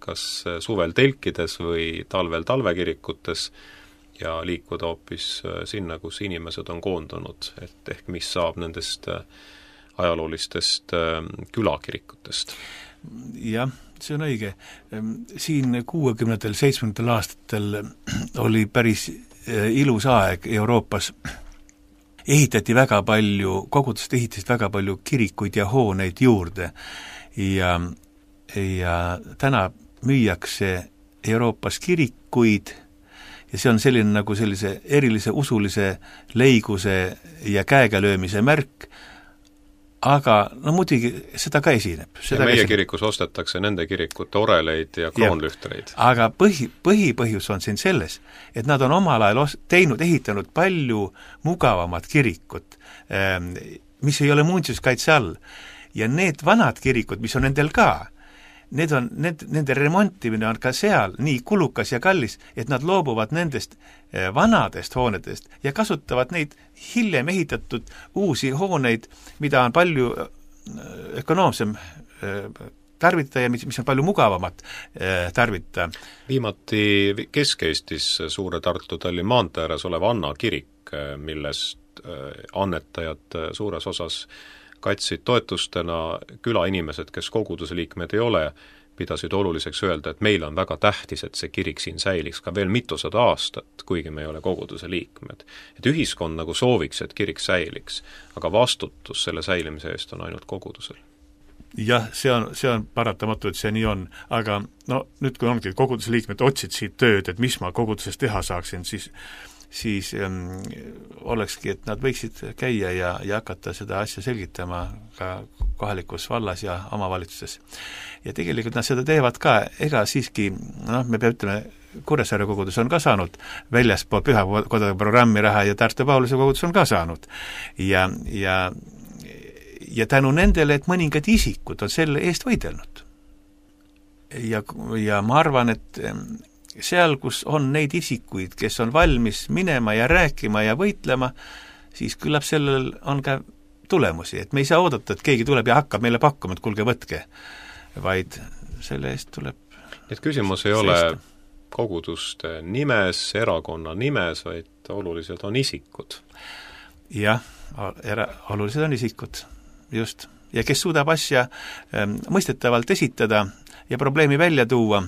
kas suvel telkides või talvel talvekirikutes ja liikuda hoopis sinna, kus inimesed on koondunud, et ehk mis saab nendest ajaloolistest külakirikutest. Jah, see on õige. Siin 60. 70. aastatel oli päris ilus aeg Euroopas. Ehitati väga palju, kogudused ehitasid väga palju kirikuid ja hooneid juurde ja täna müüakse Euroopas kirikuid ja see on selline nagu sellise erilise usulise leiguse ja käegalöömise märk, aga no muidugi seda ka esineb. Ja meie kirikus ostetakse nende kirikute oreleid ja kroonlühtreid. Aga põhipõhjus on siin selles, et nad on omal ajal ehitanud palju mugavamat kirikut, mis ei ole muinsuskaitse all. Ja need vanad kirikud, mis on nendel ka, nende remontimine on ka seal nii kulukas ja kallis, et nad loobuvad nendest vanadest hoonedest ja kasutavad neid hiljem ehitatud uusi hooneid, mida on palju ökonoomsem tarvitada ja mis on palju mugavamat tarvitada. Viimati Kesk-Eestis suure Tartu-Tallinna maantee ääres olev Anna kirik, millest annetajad suures osas katsid toetustena külainimesed, kes koguduse liikmed ei ole, pidasid oluliseks öelda, et meil on väga tähtis, et see kirik siin säiliks ka veel mitusada aastat, kuigi me ei ole koguduse liikmed. Et ühiskond nagu sooviks, et kirik säiliks, aga vastutus selle säilimise eest on ainult kogudusel. Jah, see on paratamatu, et see nii on, aga no nüüd, kui ongi koguduse liikmed otsid siit tööd, et mis ma koguduses teha saaksin, siis olekski, et nad võiksid käia ja hakata seda asja selgitama ka kohalikus vallas ja omavalitsuses. Ja tegelikult nad seda teevad ka, ega siiski, me peame ütlema, Kuressaare kogudus on ka saanud väljaspool pühakodade programmi raha ja Tartu Pauluse kogudus on ka saanud. Ja tänu nendele, et mõningad isikud on selle eest võidelnud. Ja ma arvan, et seal, kus on neid isikuid, kes on valmis minema ja rääkima ja võitlema, siis küllap sellel on ka tulemusi, et me ei saa oodata, et keegi tuleb ja hakkab meile pakkuma, et kuulge, võtke, vaid selle eest tuleb et küsimus ei ole koguduste nimes, erakonna nimes, vaid olulised on isikud. Jah, olulised on isikud, just. Ja kes suudab asja mõistetavalt esitada ja probleemi välja tuua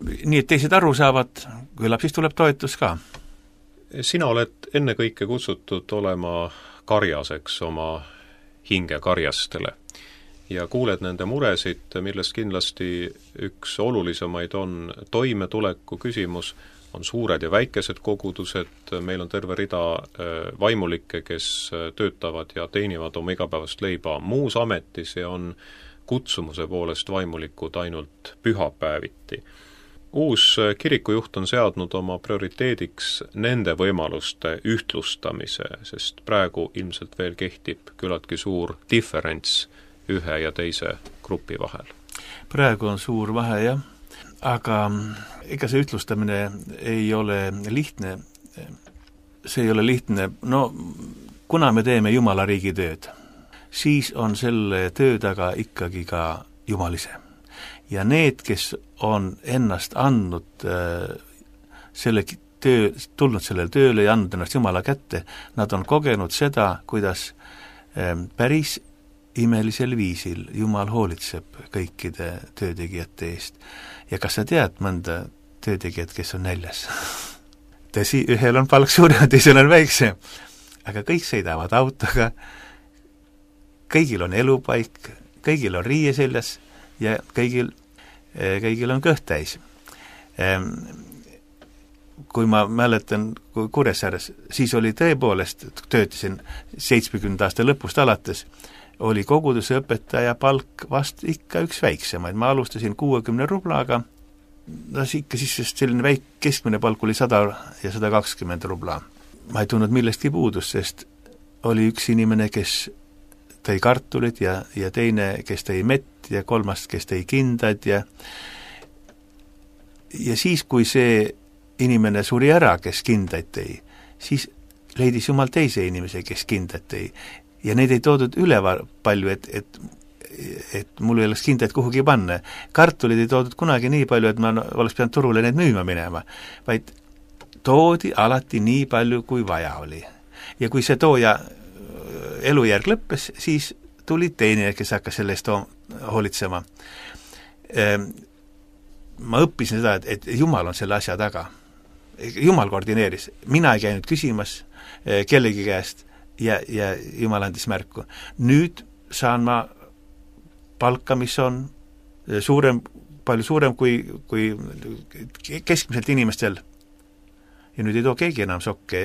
nii et teised aru saavad, küllap siis tuleb toetus ka. Sina oled ennekõike kutsutud olema karjaseks oma hinge karjastele ja kuuled nende muresid, millest kindlasti üks olulisemaid on toimetuleku küsimus, on suured ja väikesed kogudused, meil on terve rida vaimulikke, kes töötavad ja teenivad oma igapäevast leiba muus ametis ja on kutsumuse poolest vaimulikud ainult pühapäeviti. Uus kirikujuht on seadnud oma prioriteediks nende võimaluste ühtlustamise, sest praegu ilmselt veel kehtib küllaltki suur diferents ühe ja teise grupi vahel. Praegu on suur vahe, jah, aga ega see ühtlustamine ei ole lihtne. See ei ole lihtne. No, kuna me teeme Jumala riigi tööd, siis on selle töö taga ikkagi ka Jumal ise. Ja need, kes on ennast andnud tulnud sellele tööle ja andnud ennast Jumala kätte, nad on kogenud seda, kuidas päris imelisel viisil Jumal hoolitseb kõikide töötegijate eest. Ja kas sa tead mõnda töötegijat, kes on näljas? Tõsi, ühel on palk suurem, teisel on väiksem, aga kõik sõidavad autoga, kõigil on elupaik, kõigil on riie seljas ja kõigil on kõht täis. Kui ma mäletan Kuressaares, siis oli tõepoolest, töötasin 70 aasta lõpust alates, oli koguduse õpetaja palk vast ikka üks väiksemaid. Ma alustasin 60 rublaga, ikka siis selline keskmine palk oli 100 ja 120 rubla. Ma ei tundnud millestki puudust, sest oli üks inimene, kes tõi kartulit ja teine, kes tõi mett ja kolmas, kes tõi kindad ja siis, kui see inimene suri ära, kes kindaid tõi, siis leidis Jumal teise inimese, kes kindad tõi ja neid ei toodud üle palju, et mul ei oleks kindaid kuhugi panna. Kartulid ei toodud kunagi nii palju, et ma oleks pidanud turule neid müüma minema, vaid toodi alati nii palju, kui vaja oli. Ja kui see tooja elujärg lõppes, siis tuli teine, kes hakkas selle eest hoolitsema. Ma õppisin seda, et Jumal on selle asja taga. Jumal koordineeris. Mina ei käinud küsimas kellegi käest ja Jumal andis märku. Nüüd saan ma palka, mis on palju suurem kui keskmiselt inimestel. Ja nüüd ei too keegi enam sokke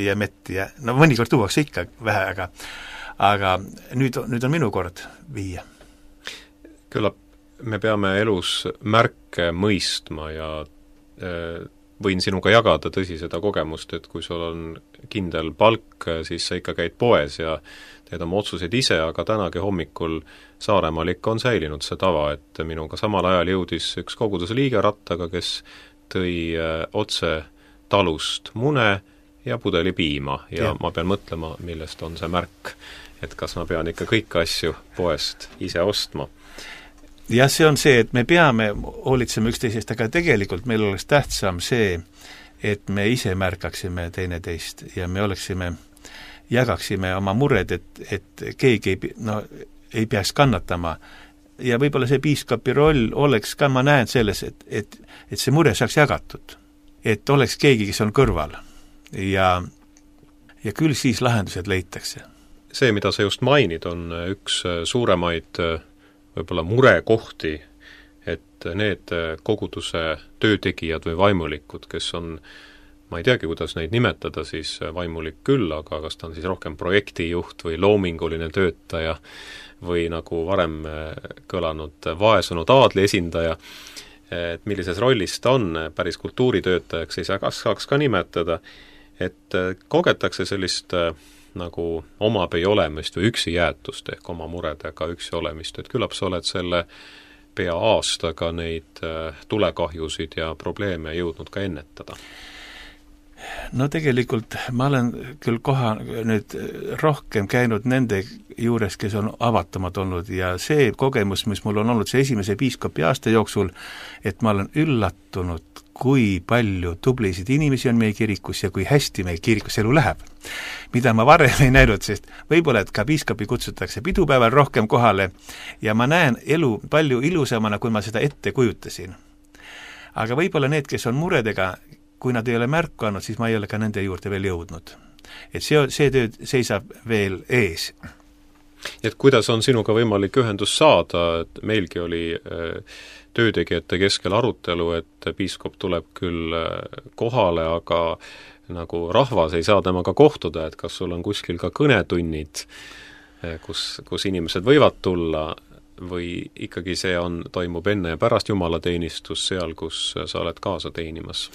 ja metti ja no mõnikord tuuakse ikka vähe, aga nüüd on minu kord viia. Küllap me peame elus märke mõistma ja võin sinuga jagada tõsi seda kogemust, et kui sul on kindel palk, siis sa ikka käid poes ja teed oma otsuseid ise, aga tänagi hommikul Saaremaal ikka on säilinud see tava, et minuga samal ajal jõudis üks koguduse liige rattaga, kes tõi otse talust mune ja pudeli piima ja ma pean mõtlema, millest on see märk, et kas ma pean ikka kõiki asju poest ise ostma. Ja see on see, et me peame hoolitsema üksteisest, aga tegelikult meil oleks tähtsam see, et me ise märkaksime teineteist ja me jagaksime oma mured, et keegi ei peaks kannatama. Ja võib-olla see piiskapi roll oleks ka, ma näen selles, et see mure saaks jagatud. Et oleks keegi, kes on kõrval ja küll siis lahendused leitakse. See, mida sa just mainid, on üks suuremaid võib-olla murekohti, et need koguduse töötegijad või vaimulikud, kes on, ma ei teagi, kuidas neid nimetada, siis vaimulik küll, aga kas ta on siis rohkem projektijuht või loominguline töötaja või nagu varem kõlanud vaesunud aadli esindaja, et millises rollis ta on, päris kultuuritöötajaks ei saaks ka nimetada, et kogetakse sellist nagu omab ei olemist või üksi jäetust ehk oma muredega üksi olemist, et küllap sa oled selle pea aastaga neid tulekahjusid ja probleeme jõudnud ka ennetada. No tegelikult ma olen küll nüüd rohkem käinud nende juures, kes on avatamad olnud ja see kogemus, mis mul on olnud see esimese piiskopi aasta jooksul, et ma olen üllatunud, kui palju tublisid inimesi on meie kirikus ja kui hästi meie kirikus elu läheb. Mida ma varem ei näinud, sest võib-olla, et ka piiskopi kutsutakse pidupäeval rohkem kohale ja ma näen elu palju ilusamana, kui ma seda ette kujutasin. aga võib-olla need, kes on muredega, kui nad ei ole märku andnud, siis ma ei ole ka nende juurde veel jõudnud. Et see töö seisab veel ees. Et kuidas on sinuga võimalik ühendust saada, et meilgi oli töötegijate keskel arutelu, et piiskop tuleb küll kohale, aga nagu rahvas ei saa temaga kohtuda, et kas sul on kuskil ka kõnetunnid, kus inimesed võivad tulla, või ikkagi see toimub enne ja pärast jumalateenistus seal, kus sa oled kaasa teenimas?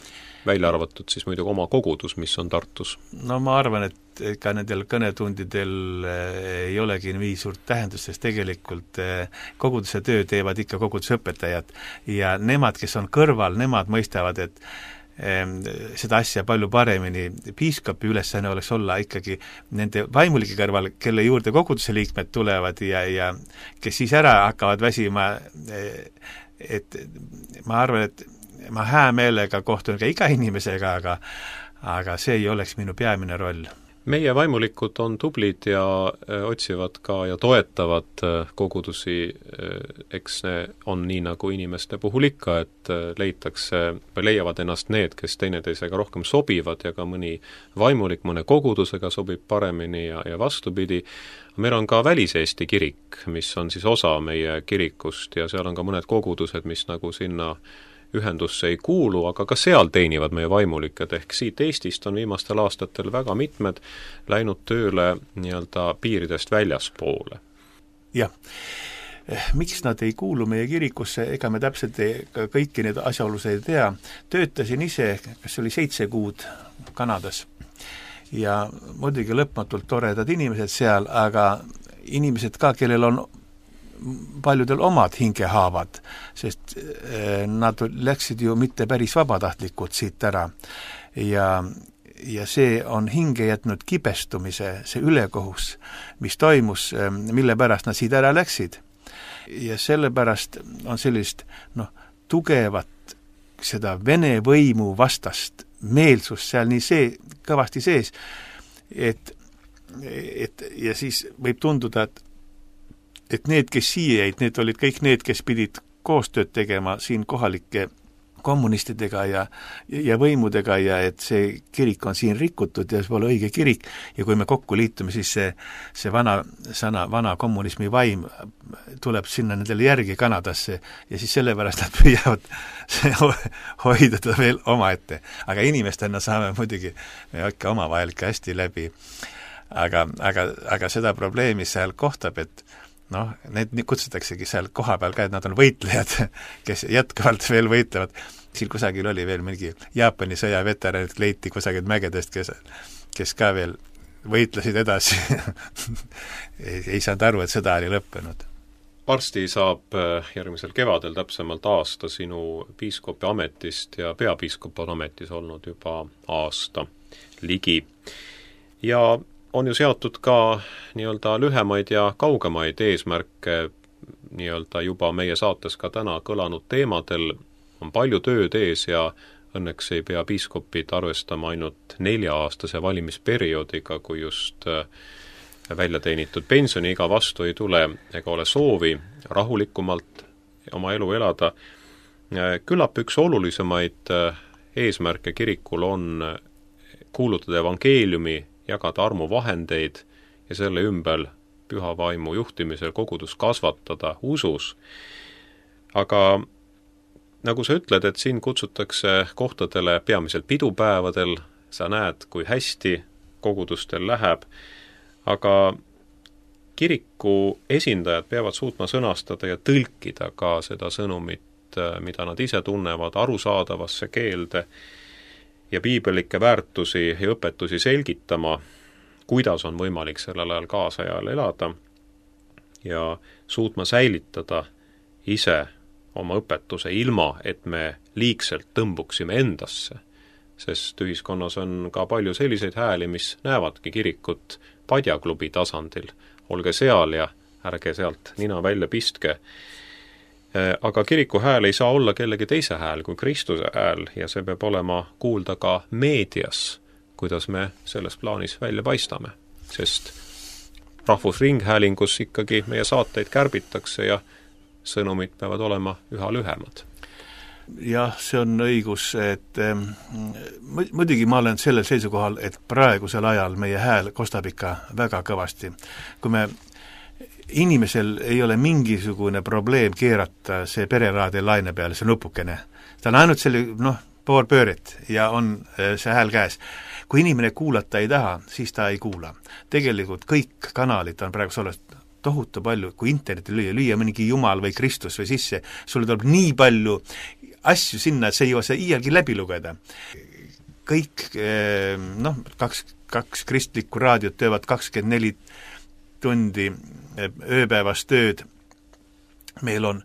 Välja arvatud siis muidugi oma kogudus, mis on Tartus. No ma arvan, et ka nendel kõnetundidel ei olegi nii suurt tähendust, sest tegelikult koguduse töö teevad ikka koguduse õpetajad ja nemad, kes on kõrval, nemad mõistavad, et seda asja palju paremini. Piiskopi ülesanne oleks olla ikkagi nende vaimulike kõrval, kelle juurde koguduse liikmed tulevad ja kes siis ära hakkavad väsima, et ma arvan, et ma hää meelega kohtun ka iga inimesega, aga see ei oleks minu peamine roll. Meie vaimulikud on tublid ja otsivad ka ja toetavad kogudusi, eks ne on nii nagu inimeste puhul ikka, et leiavad ennast need, kes teineteisega rohkem sobivad ja ka mõni vaimulik mõne kogudusega sobib paremini ja vastupidi. Meil on ka Välis-Eesti kirik, mis on siis osa meie kirikust ja seal on ka mõned kogudused, mis nagu sinna ühendusse ei kuulu, aga ka seal teenivad meie vaimulikud, ehk siit Eestist on viimastel aastatel väga mitmed läinud tööle nii-öelda piiridest väljaspoole. Jah, miks nad ei kuulu meie kirikusse, ega me täpselt kõiki need asjaolusid ei tea. Töötasin ise, kas oli 7 kuud Kanadas ja muidugi lõpmatult toredad inimesed seal, aga inimesed ka, kellel on paljudel omad hingehaavad, sest nad läksid ju mitte päris vabatahtlikult siit ära ja see on hinge jätnud kibestumise, see ülekohus, mis toimus, mille pärast nad siit ära läksid. Ja sellepärast on sellist tugevat seda Vene võimu vastast meelsust seal nii kõvasti sees, et ja siis võib tunduda, et need, kes siia jäid, need olid kõik need, kes pidid koostööd tegema siin kohalike kommunistidega ja võimudega ja et see kirik on siin rikutud ja see pole õige kirik ja kui me kokku liitume, siis see vana kommunismi vaim tuleb sinna nendele järgi Kanadasse ja siis sellepärast nad püüavad hoida teda veel omaette. Aga inimestena saame muidugi me ikka omavahel ka hästi läbi. Aga seda probleemi seal kohtab, et need kutsutaksegi seal koha peal ka, et nad on võitlejad, kes jätkuvalt veel võitlevad. Siin kusagil oli veel mingi Jaapani sõjaveteranid leiti kusagil mägedest, kes ka veel võitlesid edasi. ei saanud aru, et sõda oli lõppenud. Varsti saab järgmisel kevadel täpsemalt aasta sinu piiskopi ametist ja peapiiskopi ametis olnud juba aasta ligi. Ja on ju seatud ka nii-öelda lühemaid ja kaugemaid eesmärke nii-öelda juba meie saates ka täna kõlanud teemadel. On palju tööd ees ja õnneks ei pea piiskopid arvestama ainult 4-aastase valimisperioodiga, kui just välja teenitud pensioniiga vastu ei tule ega ole soovi rahulikumalt oma elu elada. Küllap üks olulisemaid eesmärke kirikul on kuulutada evangeeliumi, jagada armuvahendeid ja selle ümber püha vaimu juhtimisel kogudus kasvatada usus. Aga nagu sa ütled, et siin kutsutakse kohtadele peamiselt pidupäevadel, sa näed, kui hästi kogudustel läheb, aga kiriku esindajad peavad suutma sõnastada ja tõlkida ka seda sõnumit, mida nad ise tunnevad, arusaadavasse keelde ja piibellikke väärtusi ja õpetusi selgitama, kuidas on võimalik sellel ajal kaasajal elada ja suutma säilitada ise oma õpetuse ilma, et me liigselt tõmbuksime endasse, sest ühiskonnas on ka palju selliseid hääli, mis näevadki kirikut padjaklubi tasandil. Olge seal ja ärge sealt nina välja pistke. Aga kiriku hääl ei saa olla kellegi teise hääl kui Kristuse hääl ja see peab olema kuulda ka meedias, kuidas me selles plaanis välja paistame, sest rahvusringhäälingus ikkagi meie saateid kärbitakse ja sõnumid peavad olema üha lühemad. jah, see on õigus, et muidugi ma olen sellel seisukohal, et praegusel ajal meie hääl kostab ikka väga kõvasti. Kui inimesel ei ole mingisugune probleem keerata see pereraadi laine peale, see nupukene. Ta on ainult selle, pool pööret ja on see hääl käes. Kui inimene kuulata ei taha, siis ta ei kuula. Tegelikult kõik kanalid on praegu selles tohutu palju, kui interneti lüüa mingi Jumal või Kristus või sisse, sulle tuleb nii palju asju sinna, et see ei jõua see iialgi läbi lugeda. Kõik, kaks kristlikku raadiot töövad 24 tundi ööpäevast tööd. Meil on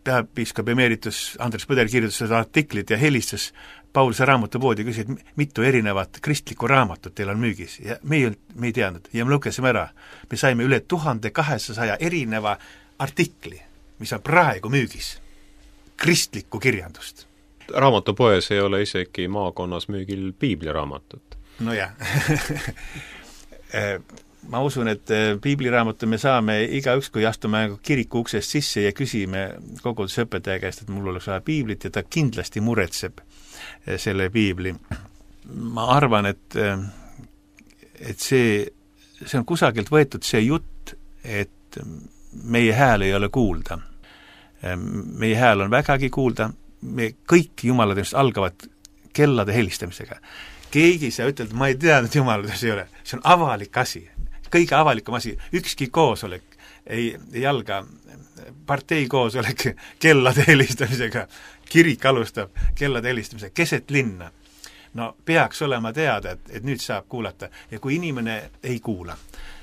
peapiiskop emeritus Andres Põder kirjutas seda artiklit ja helistas Pauluse raamatupoodi ja küsis, et mitu erinevat kristlikku raamatut teil on müügis ja me ei teadnud ja me lukesime ära. Me saime üle 1200 erineva artikli, mis on praegu müügis. Kristlikku kirjandust. Raamatupoes ei ole isegi maakonnas müügil piibliraamatut. No jah. Ma usun, et piibliraamatu me saame igaüks, kui astume kiriku uksest sisse ja küsime kogudusõpetaja käest, et mul oleks vaja piiblit ja ta kindlasti muretseb selle piibli. Ma arvan, et see on kusagilt võetud see jutt, et meie hääl ei ole kuulda. Meie hääl on vägagi kuulda, me kõik jumalateenistused algavad kellade helistamisega. Keegi ei saa ütelda, ma ei teadnud, jumalateenistus ei ole. See on avalik asi, kõige avalikum asi. Ükski koosolek ei alga partei koosolek kellade helistamisega. Kirik alustab kellade helistamisega keset linna. No peaks olema teada, et nüüd saab kuulata ja kui inimene ei kuula,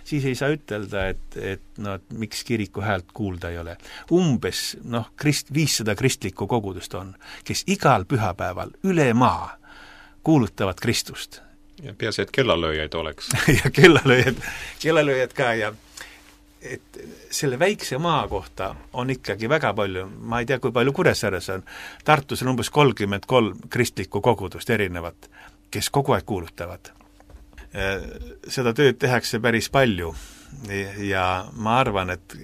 siis ei saa ütelda, et miks kiriku häält kuulda ei ole. Umbes 500 kristlikku kogudust on, kes igal pühapäeval üle maa kuulutavad Kristust. Ja peaasi, et kellalööjaid oleks. ja kellalööjad ka ja et selle väikse maa kohta on ikkagi väga palju, ma ei tea, kui palju Kuressaares on, Tartus on umbes 33 kristlikku kogudust erinevat, kes kogu aeg kuulutavad. Seda tööd tehakse päris palju ja ma arvan, et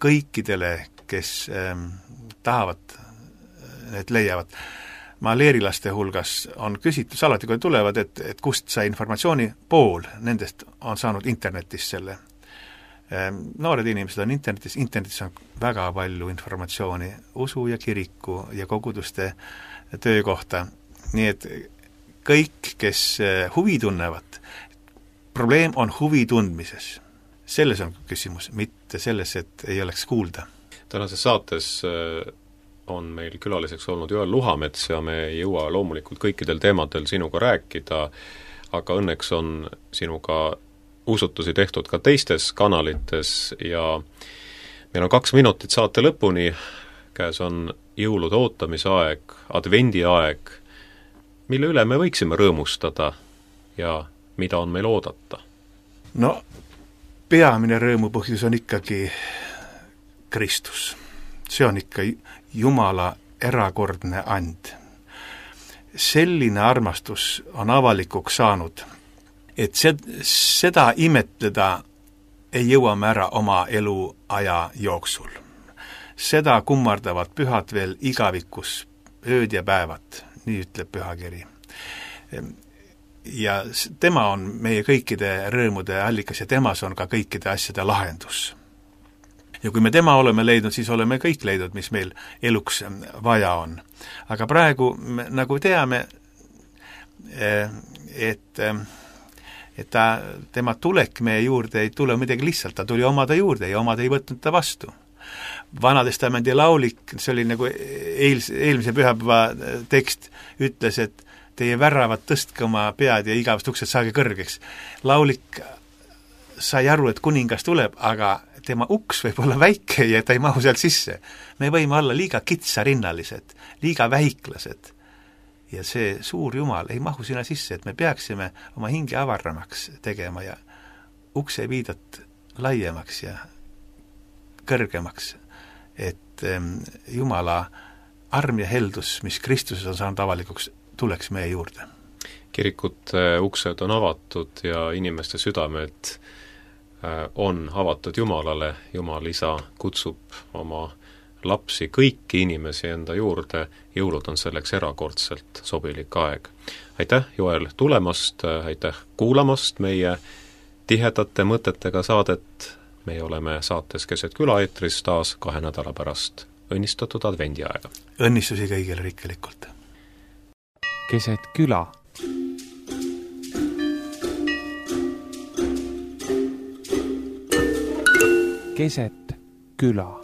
kõikidele, kes tahavad, need leiavad. Ma leerilaste hulgas on küsitlus alati, kui tulevad, et kust sai informatsiooni, pool nendest on saanud internetis selle. Noored inimesed on internetis on väga palju informatsiooni usu ja kiriku ja koguduste töö kohta. Nii et kõik, kes huvi tunnevad, probleem on huvi tundmises. Selles on küsimus, mitte selles, et ei oleks kuulda. Tänases saates on meil külaliseks olnud Joel Luhamets ja me ei jõua loomulikult kõikidel teemadel sinuga rääkida, aga õnneks on sinuga usutusi tehtud ka teistes kanalites ja meil on 2 minutit saate lõpuni, käes on jõulude ootamise aeg, advendi aeg, mille üle me võiksime rõõmustada ja mida on meil oodata? No, peamine rõõmupõhjus on ikkagi Kristus. See on ikka Jumala erakordne and. Selline armastus on avalikuks saanud, et seda imetleda ei jõua me ära oma eluaja jooksul. Seda kummardavad pühad veel igavikus, ööd ja päevad, nii ütleb pühakiri. Ja tema on meie kõikide rõõmude allikas ja temas on ka kõikide asjade lahendus. Ja kui me tema oleme leidnud, siis oleme kõik leidnud, mis meil eluks vaja on. Aga praegu, nagu teame, et tema tulek meie juurde ei tule midagi lihtsalt, ta tuli omade juurde ja omad ei võtnud ta vastu. Vanatestamendi laulik, see oli nagu eelmise pühapäeva tekst, ütles, et teie väravad tõstke oma pead ja igavast uksed saage kõrgeks. Laulik sai aru, et kuningas tuleb, aga tema uks võib olla väike ja ta ei mahu sealt sisse. Me võime olla liiga kitsarinnalised, liiga väiklased. Ja see suur Jumal ei mahu sinna sisse, et me peaksime oma hinge avaramaks tegema ja ukse viidat laiemaks ja kõrgemaks, et Jumala arm ja heldus, mis Kristuses on saanud avalikuks, tuleks meie juurde. Kirikute uksed on avatud ja inimeste südamed on avatud Jumalale, Jumal isa kutsub oma lapsi, kõiki inimesi enda juurde, jõulud on selleks erakordselt sobilik aeg. Aitäh, Joel, tulemast, aitäh kuulamast meie tihedate mõtetega saadet. Meie oleme saates Keset küla eetris taas 2 nädala pärast. Õnnistatud advendiaega! Õnnistusi kõigile rikkalikult! Keset küla. Keset küla.